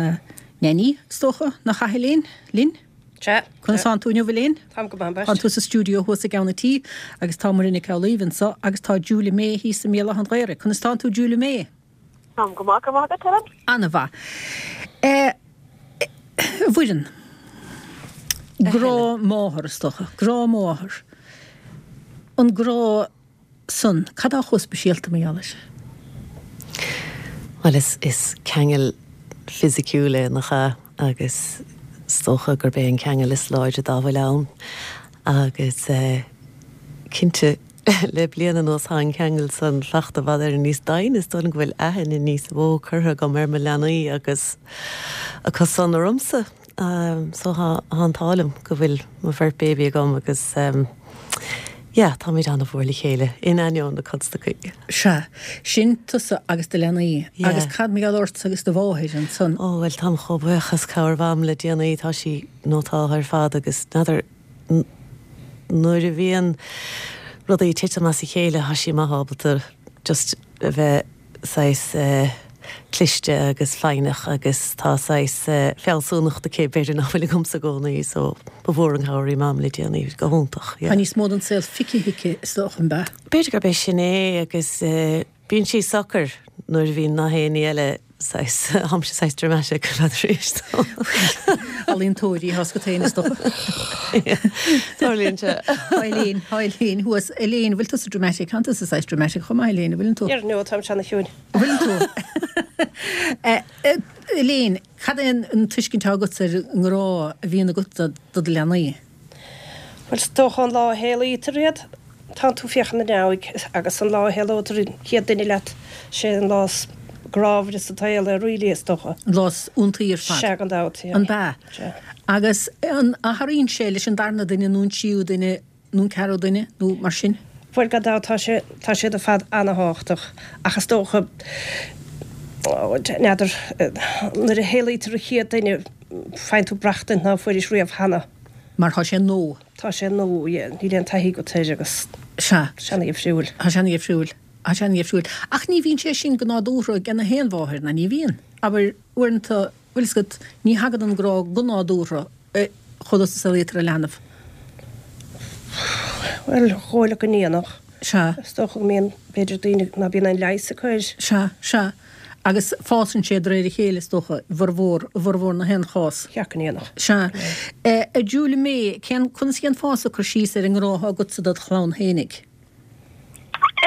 Neainí is dócha, nach ea Elaine, linn? Sea. Conas tánn tú inniu, Elaine? Táim go maith, Tá tú sa stiúideo thuas i gceann an tí agus tá Muireann Nic Amhlaoibh anso agus tá Julia May thíos i mBéal Átha an Ghaorthaidh. Conas tánn tú, Julia May? Táim go maith, go maith agat, Helen. Ana-mhaith. Eh, a Mhuireann. Grá máthar, is dócha. Grá máthar. An grá san, cad tá chomh speisialta mar gheall air? Bhuel, is, is ceangal fisiciúil é, nach ea? Agus is dócha gurb é an ceangal is láidre dá bhfuil ann. Agus cinnte, le bliain anuas tá an ceangal san fachta i bhfad Éireann níos doimhne, is dóigh liom go bhfuil aithne níos mó curtha agam ar mo leanaí agus acu san ormsa. So tá an t-ádh liom go bhfuil mo bheirt baby agam agus yeah, táimid an-mhór le chéile, in ainneoin na constaicí. Sea, sin tusa agus do leanaí. Yeah. Agus cad mar gheall ortsa agus do mháthair ansan? Ó, bhuel, táim chomh buíoch as cabhair Mham le déanaí, tá sí nótáltha ar fad agus n'fheadar nuair a bhíonn rudaí ag titim as a chéile, tá sí maith ábalta just a bheith saghas cliste agus foighneach agus tá saghas fealsúnacht aici b'fhéidir nach bhfuil agamsa i gcónaí so ba mhór an chabhair í Mam le déanaí, go hiontach, yeah. Tá níos mó den saol feicthe aici is dócha, an ea? B'fhéidir gurb é sin é agus bíonn sí socair nuair a bhíonn na héinne eile saghas, táimse saghas dramatic ar fad arís. Ealaíontóirí atá agat féin is dócha. Tarlaíonn sé. Tá Elaine, tá Elaine thuas. Elaine, bhfuil tusa dramatic? Tánn tusa saghas dramatic chomh maith, Elaine, an bhfuileann tú? Ar ndóigh, táimse ana-chiúin. An bhfuileann tú? Elaine, cad é an tuiscint atá agatsa ar an ngrá a bhíonn agat do do leanaí? Bhuel, is dócha an lá a shaolaítear iad, tánn tú féachaint ar aghaidh agus an lá a shaolótar an chéad duine leat, sé an lá is grámhaire sa tsaol é really, is dócha. An lá is iontaí ar fad. Sea, gan dabht, yeah. An b'ea? Sea. Agus an athraíonn sé leis an darna duine nó an tríú duine nó an ceathrú duine nó mar sin? Bhuel, gan dabht, tá sé, tá siad ar fad ana-thábhachtach ach is dócha, n'fheadar, nuair a shaolaítear an chéad duine, faigheann tú brachtaint ná fuairis riamh cheana. Mar tá sé nua. Tá sé nua, yeah, níl aon taithí agat air agus Sea. sé ana-dhifriúil. Tá sé ana-dhifriúil. Tá sé ana-dhifriúil. Ach ní bhíonn sé sin go nádúrtha ag na haon mháthair, ná ní bhíonn. Abair, uaireanta, bhfuil fhios agat, ní thagann an grá go nádúrtha chomh luath is a saolaítear an leanbh. Bhuel, dhóigh liom go ndéanfadh. Sea. Is dócha go mbíonn, b'fhéidir, daoine ná bíonn aon leigheas acu air. Sea, sea. Agus fásann sé de réir a chéile, is dócha, i bhformhór, i bhformhór na haon chás. Cheart go ndéanfadh. Sea. A Julia May, cén, conas a dhéanfása cur síos ar an ngrá atá agatsa dod chlann fhéinig?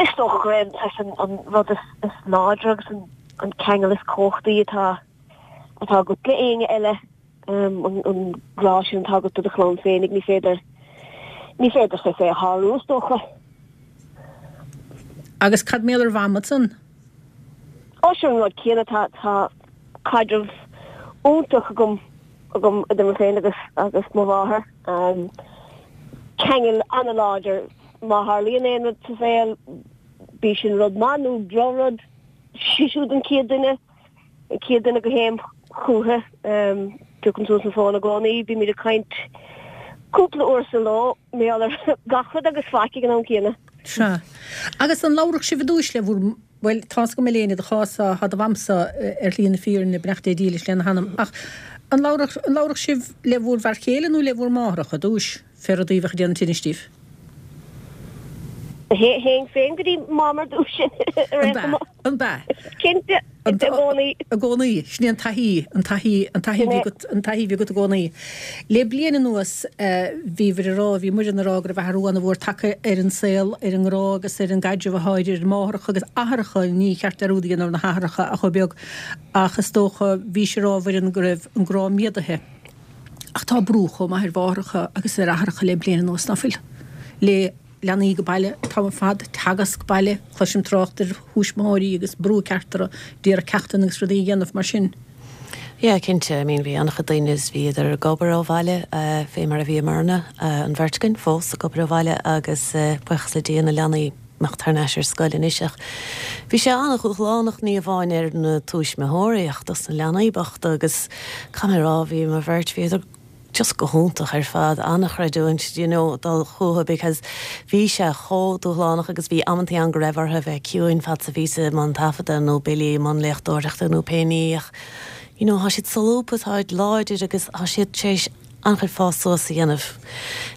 Is dócha gur é an, an rud is, is láidre agus an, an ceangal is cumhachtaí atá, atá agat le éinne eile, an, an grá sin atá agat do do chlann féinig, ní féidir, ní féidir saghas é a shárú, is dócha. Agus cad mar gheall ar Mham ansan? Ó sin an rud céanna, tá tá caidreamh iontach agam agam idir mé féin agus agus mo mháthair. Ceangal an-láidir. Má tharlaíonn aon rud sa saol, bíodh sin rud maith nó drochrud, sí siúd an chéad duine, an chéad duine go théim chúiche. Piocaim suas an fón i gcónaí, bímid ag caint cúpla uair sa ló, mar gheall ar gach rud agus faic ag an am céanna. Sea. Agus an labhradh sibh i dtúis le bhur, bhuel, tá's agam Elaine i do chás-sa, tá do mhamsa ar shlí na fírinne, beannacht Dé dílis lena hanam, ach an labhradh, an labhradh sibh le bhur bhfear chéile nó le bhur máithreacha i dtúis, fé rudaí a bheadh ag déanamh tinnis daoibh? Théinn féin go dtí Mam ar dtúis ar An aon b'ea? chuma. An b'ea? Cinnte. I gcónaí. I gcónaí. Sin é an taithí, an taithí, an taithí a bhí agat, an taithí a bhí agat i gcónaí. Le bliain anuas, bhíobhair ag rá, bhí Muireann ag rá go raibh athrú an-mhór tagtha ar an saol, ar an ngrá agus ar an gcaidreamh atá idir máithreacha agus athaireacha, ní cheart dearúd a dhéanamh ar na hathaireacha ach chomh beag, ach is dócha, bhís ag rá, a Mhuireann, go raibh an grá méadaithe. Ach tá brú chomh maith ar mháithreacha agus ar athaireacha le bliain anuas, ná fuil? Le leanaí go baile an t-am ar fad, teagasc baile, cloisim trácht ar thuismitheoirí agus brú ceart orthu d'iarraidh ceachtanna agus rudaí a dhéanamh mar sin. Yeah, cinnte, I mean bhí an-chuid daoine is bhíodar ag obair ó bhaile, fé mar a bhíomarna, an bheirt againn fós ag obair ó bhaile agus buíochas le Dia na leanaí imeacht thar n-ais ar scoil anois ach bhí sé an-dhúshlánach ní amháin ar na tuismitheoirí ach dos na leanaí bochta agus caithfidh mé a rá bhí mo bheirt bhíodar just go hiontach ar fad, an-chreidiúint you know dul chucu because bhí sé chomh dúshlánach agus bhí amantaí ann go raibh orthu a bheith ciúin fad 's a bhíos i mbun taifeadta nó Billy i mbun léachtóireachta nó pé ní ach you know tá siad solúbtha, táid láidir agus tá siad tar éis an-chuid fás suas a dhéanamh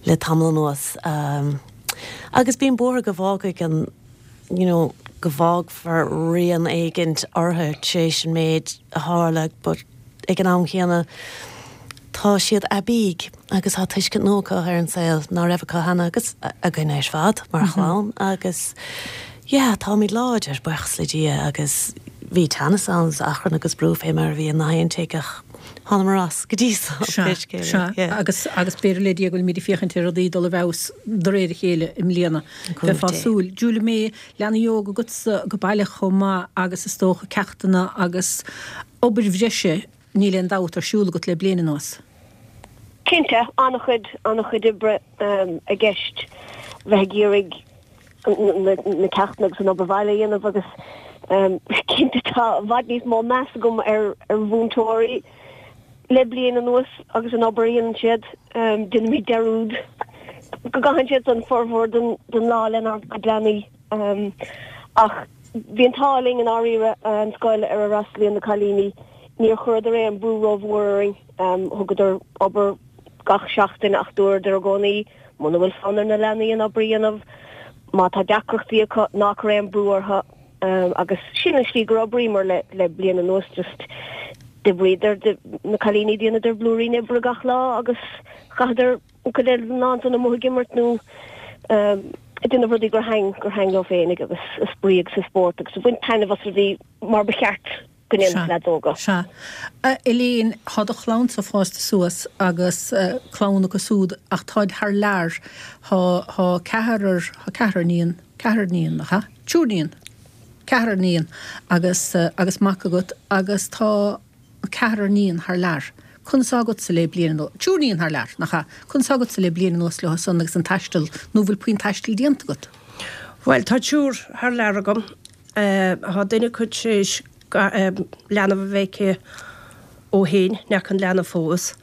le tamall anuas agus bím buartha go bhfágfaidh an you know go bhfágfar rian éigint orthu tar éis an méid a tharla but ag an am chéanna tá siad aibí agus tá tuiscint nua acu ar an saol ná raibh acu cheana agus againn ar fad mar chlann agus yeah táimid láidir buíochas le Dia agus bhí teannas ann is achrann agus brú fé mar a bhí i ngach aon tigh ach thánamar as go dtí so. Sea, sea, agus agus b'fhéidir le Dia go bhfuilimid ag féachaint ar rudaí dul i bhfeabhas de réir a chéile i mbliana. Bheifeá ag súil. Julia May, leanaí óga agatsa go baile chomh maith agus is dócha ceachtanna agus obair bhreise Níl aon dabht ar siúl agat le bliain anuas. Cinnte, an-chuid, an-chuid oibre i gceist, bheith ag iarraidh na ceachtanna agus an obair bhaile a dhéanamh agus cinnte tá i bhfad níos mó meas agam ar mhúinteoirí le bliain anuas agus an obair a dhéanann siad. Déanaimid dearúd go gcaitheann siad an formhór den lá lenár gcuid leanaí ach bhí an t-ádh linn i ndáiríre, an scoil ar a fhreastalaíonn na cailíní, Níor chuireadar aon brú rómhór orainn. Thugadar obair gach seachtain ach dúradar i gcónaí, muna bhfuil fonn ar na leanaí an obair a dhéanamh, má tá deacrachtaí acu, ná cuir aon brú orthu. Agus sin an slí gur oibríomar le le bliain anuas, just d'oibríodar, na cailíní dhéanadar blúirín oibre gach lá agus chaitheadar an chuid eile den lá ansan amuigh ag imirt nó ag déanamh rudaí gur thaitn gur thaitn leo féinig agus ag spraoi agus ag spórt agus ag baint taitneamh as rudaí mar ba cheart. go ndéanfadh leaids óga. Sea. A Elaine, thá do chlannsa fásta suas agus clann acu súd ach táid thar lear. Thá, thá ceathrar, thá ceathrar níon, ceathrar níon, nach ea? Triúr níon. Ceathrar níon agus, agus mac agat agus tá ceathrar níon thar lear. Conas thá agatsa le bliain anuas, triúr níon thar lear, nach ea? Conas thá agatsa le bliain anuas leo san agus an taisteal, nó bhfuil puinn taistil déanta agat? Bhuel, tá triúr thar lear agam. Tá duine acu tar éis leanbh a bheith aici ó shin, n'fheaca an leanbh fós.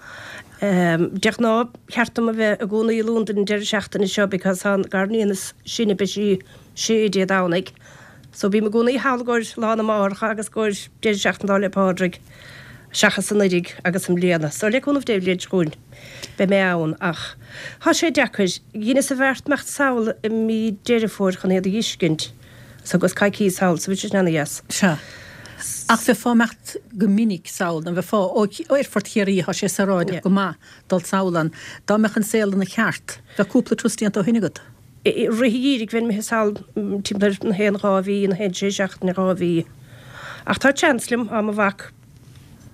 De ghnáth, cheart dom a bheith i gcónaí i Londain an deireadh seachtaine seo because tá an garníon is sine, beidh sí sé Dé Domhnaigh. So bím i gcónaí thall i gcomhair Lá na Máithreacha agus i gcomhair deireadh seachtaine Lá 'le Pádraig seachas anuraidh agus i mbliana. So le cúnamh Dé an bhliain seo chugainn beidh mé ann ach tá sé deacair. Dheineas an bheart imeacht sall i mí Deireadh Fómhair chun iad a dh'fheiscint. So agus coicís thall, so bhí sé sin ana-dheas. Sea. Ach bheifeá imeacht go minic sall, nó bheifeá, ó Aerfort Chiarraí, thá sé saoráideach go maith dul sall ann. Dá mbeadh an saol ina cheart, bheadh cúpla turas déanta ó shin agat. I rith an gheimhridh bheinn imithe sall timpeall ar na haon dhá mhí, na haon sé seachtaine, dhá mhí. Ach tá chance liom, tá mo mhac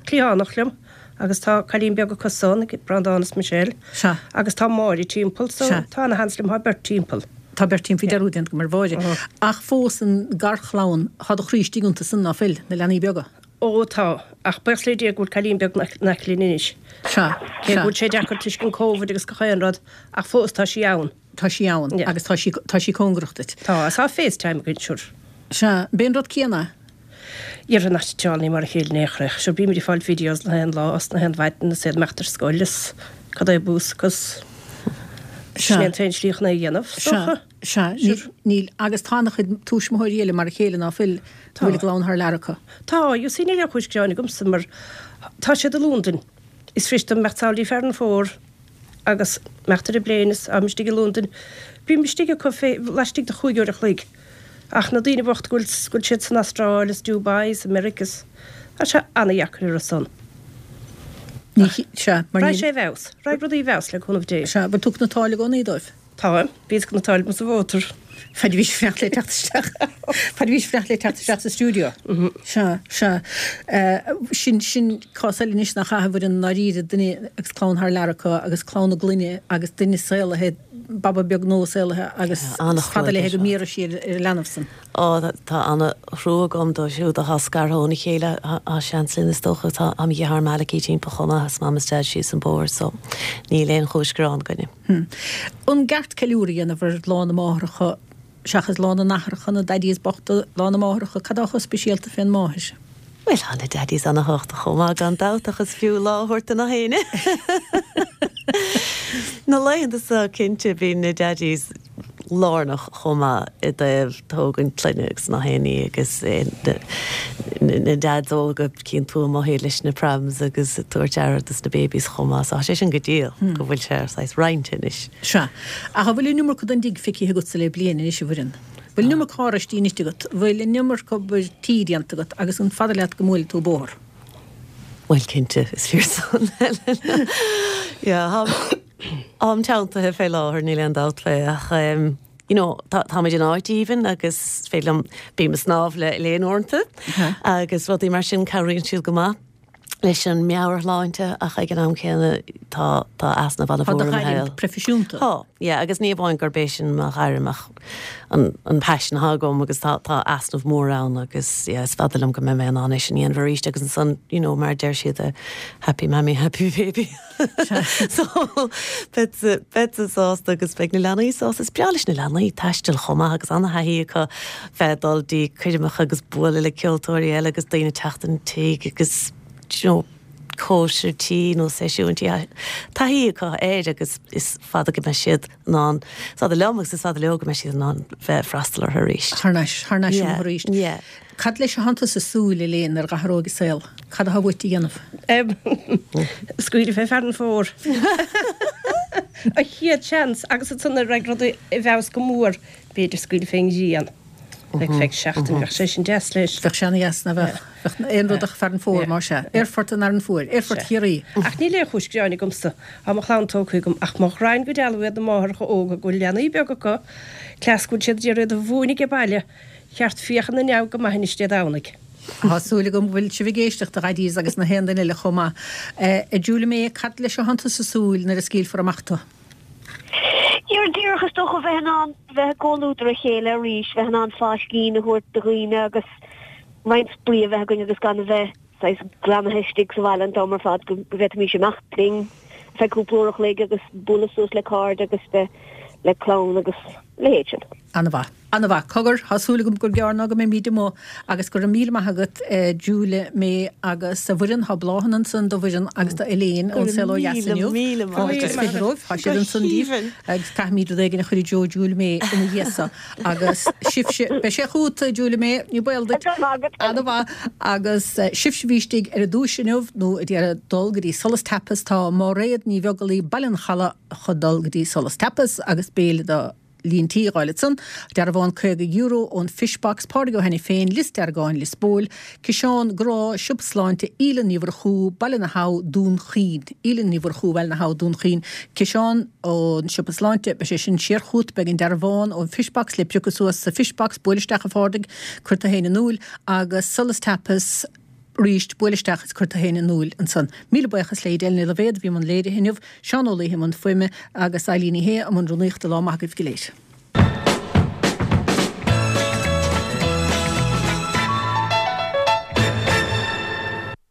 cliathánach liom agus tá cailín beag acu san, Breandán is Michelle. Sea. Agus tá Máire timpeall, so Sea. tá ana sheans liom, tá beirt timpeall. Tá beirt timpeall, bhí dearúd déanta agam ar Mháire. Ach fós an garchlann, thá do chroí istigh iontu san, ná fuil, na leanaí beaga? Ó tá, ach buíochas le Dia go bhfuil cailín beag in aice linn anois. Sea, Cé go sea. bhfuil sé deacair toisc an Covid agus gach aon rud, ach fós tá sí ann. Tá sí ann agus tá sí, tá sí cóngarach duit. Tá, agus tá FaceTime againn, sure. Sea, b'é an rud céanna é. Dhera not at all, ní mar a chéile in aon chor é. Sure bímid ag fáil videos na haon lá is na haon mhaidin is iad imeacht ar scoil is cad é bús agus sin é an t-aon slí chun é a dhéanamh, is dócha. Sea, sea, níl, níl, agus tá ana-chuid tuismitheoirí eile mar a chéile ná fuil, go bhfuil a gclann thar lear acu. Tá, you see níl aon chúis gearáin agamsa mar tá siad i Londain. Is fuirist dom imeacht sall dtí Fearann Fómhair agus imeacht ar an bplane is táim istigh i Londain. Bím istigh acu fé, laistigh de chúig uair a chloig. Ach na daoine bocht go bhfuil go bhfuil siad san Astráil is Dubai is America is tá sé ana-dheacair ar a son. Ní sea, mar Raghaidh sé i bhfeabhas. Raghaidh rudaí i bhfeabhas le cúnamh Dé. Sea, bhfuil tú ag cniotáil i gcónaí dóibh? Táim. Bhíos ag cniotáil sa mhótar. Fad a bhís ag fanacht le teacht isteach. Fad a bhís ag fanacht le teacht isteach sa stiúideo. Sea, sea. Sin, sin cás eile anois nach ea, a Mhuireann, i ndáiríre, duine agus clann thar lear acu agus clann a gclainne agus duine saolaithe, baba beag nua saolaithe agus is fada léithe go mbiarfaidh sí ar an leanbh san. Ó, tá ana-thrua agam dóibh siúd atá scartha óna chéile. Tá seans linn is dócha. Tá mo dheartháir Malachy timpeall chomh maith is mam is deaid síos an bóthar so níl aon chúis gearáin againne. An gceart ceiliúradh a dhéanamh ar Lá na Máithreacha seachas Lá na nAthracha, na Daddies bochta, Lá na Máithreacha, cad tá chomh speisialta fén máthair? Bhuel, tá na Daddies ana-thábhachtach chomh maith gan dabht ach is fiú lá a thabhairt do nach éinne. Na laethanta seo cinnte bíonn na Daddies lárnach chomh maith i dtaobh tógaint clainne agus nach aon ní agus na Dads óga cíonn tú amuigh iad leis na prams agus ag tabhairt aire dos na babies chomh maith so tá sé sin go diail go bhfuil sé saghas roinnte anois. Sea. Ach an bhfuil an iomarca den dtigh feicthe agatsa le bliain anois, a Mhuireann? Bhfuil an iomarca oráistí ite agat? Bhfuil an iomarca obair tí déanta agat agus an fada leat go mbuailfidh tú bóthar? Bhuel cinnte, is fíor san, Helen. Yeah, táim teanntaithe fé láthair, níl aon dabht fé, ach you know, tá táimid in áit aoibhinn agus is féidir liom, bím ag snámh le Elaine uaireanta agus rudaí mar sin, cabhraíonn siad go maith leis an meabhairshláinte ach ag an am céanna tá tá easnamh Tá do an-mhór i mo ghairm shaol. proifisiúnta. Tá, yeah, agus ní amháin gurb é sin mo ghairm ach an an paisean atá agam agus tá tá easnamh mór ann agus yeah, is fada liom go mbeidh mé in ann é sin a dhéanamh arís agus ansan, you know, mar a deir siad eh, happy mammy, happy baby. So beidh beidh sásta agus beidh na leanaí sásta. Is breá leis na leanaí taisteal chomh maith agus ana-thaithí acu bheith ag dul dtí coirmeacha agus bualadh le ceoltóirí eile agus daoine teacht an tigh agus you know, cóisir tí nó seisiúin tí. Taithí acu air agus is fada go mbeidh siad in ann, is fada liom agus is fada leo go mbeidh siad in ann bheith freastal orthu arís. Thar n-ais, thar n-ais Yeah, arís. yeah. Cad leis atánn tusa ag súil, Elaine, ar dh'athróidh an saol? Cad atá uait a dhéanamh? Scaoileadh fé Fearann Fómhair. An chéad seans agus ansan nuair a raghaidh rudaí i bhfeabhas go mór, b'fhéidir scaoileadh fén ghrian. Like feadh seachtain, bheadh sé sin deas leis. Bheadh sé ana-dheas, ná bheadh? Bheadh aon rud ach Fearann Fómhair, más ea. Aerfort an Fhearainn Fuair, Aerfort Chiarraí. Ach níl aon chúis gearáin agamsa. Tá mo chlann tógtha agam, ach mo ghraidhin go dealbh iad na máithreacha óga go bhfuil leanaí beaga acu, cleas go bhfuil siad ag iarraidh iad a mhúineadh ag baile, cheart féachaint 'na neamh go maith anois Dé Domhnaigh. Tá súil agam go bhfuil sibh ag éisteacht, a Dhaidís agus na haon duine eile chomh maith. A Julia May, cad leis atánn tusa ag súil nuair a scaoilfear amach tú? Díreach, díreach is dócha bheith in ann bheith i gcomhluadar a chéile arís, bheith in ann fáiscín a thabhairt do dhaoine agus roinnt spraoi a bheith againn agus gan a bheith saghas greamaithe istigh sa bhaile an t-am ar fad, go bhféadfaimis imeacht linn ar feadh cúpla uair a chloig agus bualadh suas le cairde agus bheith le clann agus a leithéid sin. Ana-mhaith. Ana-mhaith. Cogar, tá súil agam gur gearr ná go mbeimid amuigh agus go raibh míle maith agat Julia May agus a Mhuireann, tá bláthanna ansan do Mhuireann agus do Elaine Go ón raibh Saol Ó Dheas míle, inniu. míle maith Fáilte is agat. fiche romhaibh. Tá Go siad ansan daoibh haoibhinn. agus caithfimid rud éigin a chur i dtreo Julia May ina dhiaidh so. Agus sibhse, beidh sé chugat Julia May, ní baol duit. Go raibh maith agat. Ana-mhaith. Agus sibhse a bhí istigh ar an duais inniu nó a d'iarraidh dul go dtí Solas Tapas, tá Máiréad Ní Bheaglaoí, Baile an Chalaidh, chun dul go dtí Solas Tapas agus béile do líon tí a fháil ansan. Dearbhán caoga euro ón Fish Box, Pádraig Ó hAiniféin, Lios Deargáin, Lios Póil, Ciseán Grá, Siopa Sláinte, Aoileann Ní Mhurchú, Baile na hAbha, Dún Chaoin. Aoileann Ní Mhurchú, Baile na hAbha, Dún Chaoin. Ciseán ón Siopa Sláinte, beidh sé sin siar chugat, beidh an dearbhán ón Fish Box le piocadh suas sa Fish Box, buail isteach a Phádraig, cuir tú féin in iúl, agus Solas Tapas, arís, buail isteach is cuir tú féin in iúl ansan. Míle buíochas le Edel Ní Loibhéad a bhí i mbun léirithe inniu, Seán Ó Laoithe i mbun fuaime agus Eileen Ní Shé i mbun rúnaíochta. Lá maith agaibh go léir.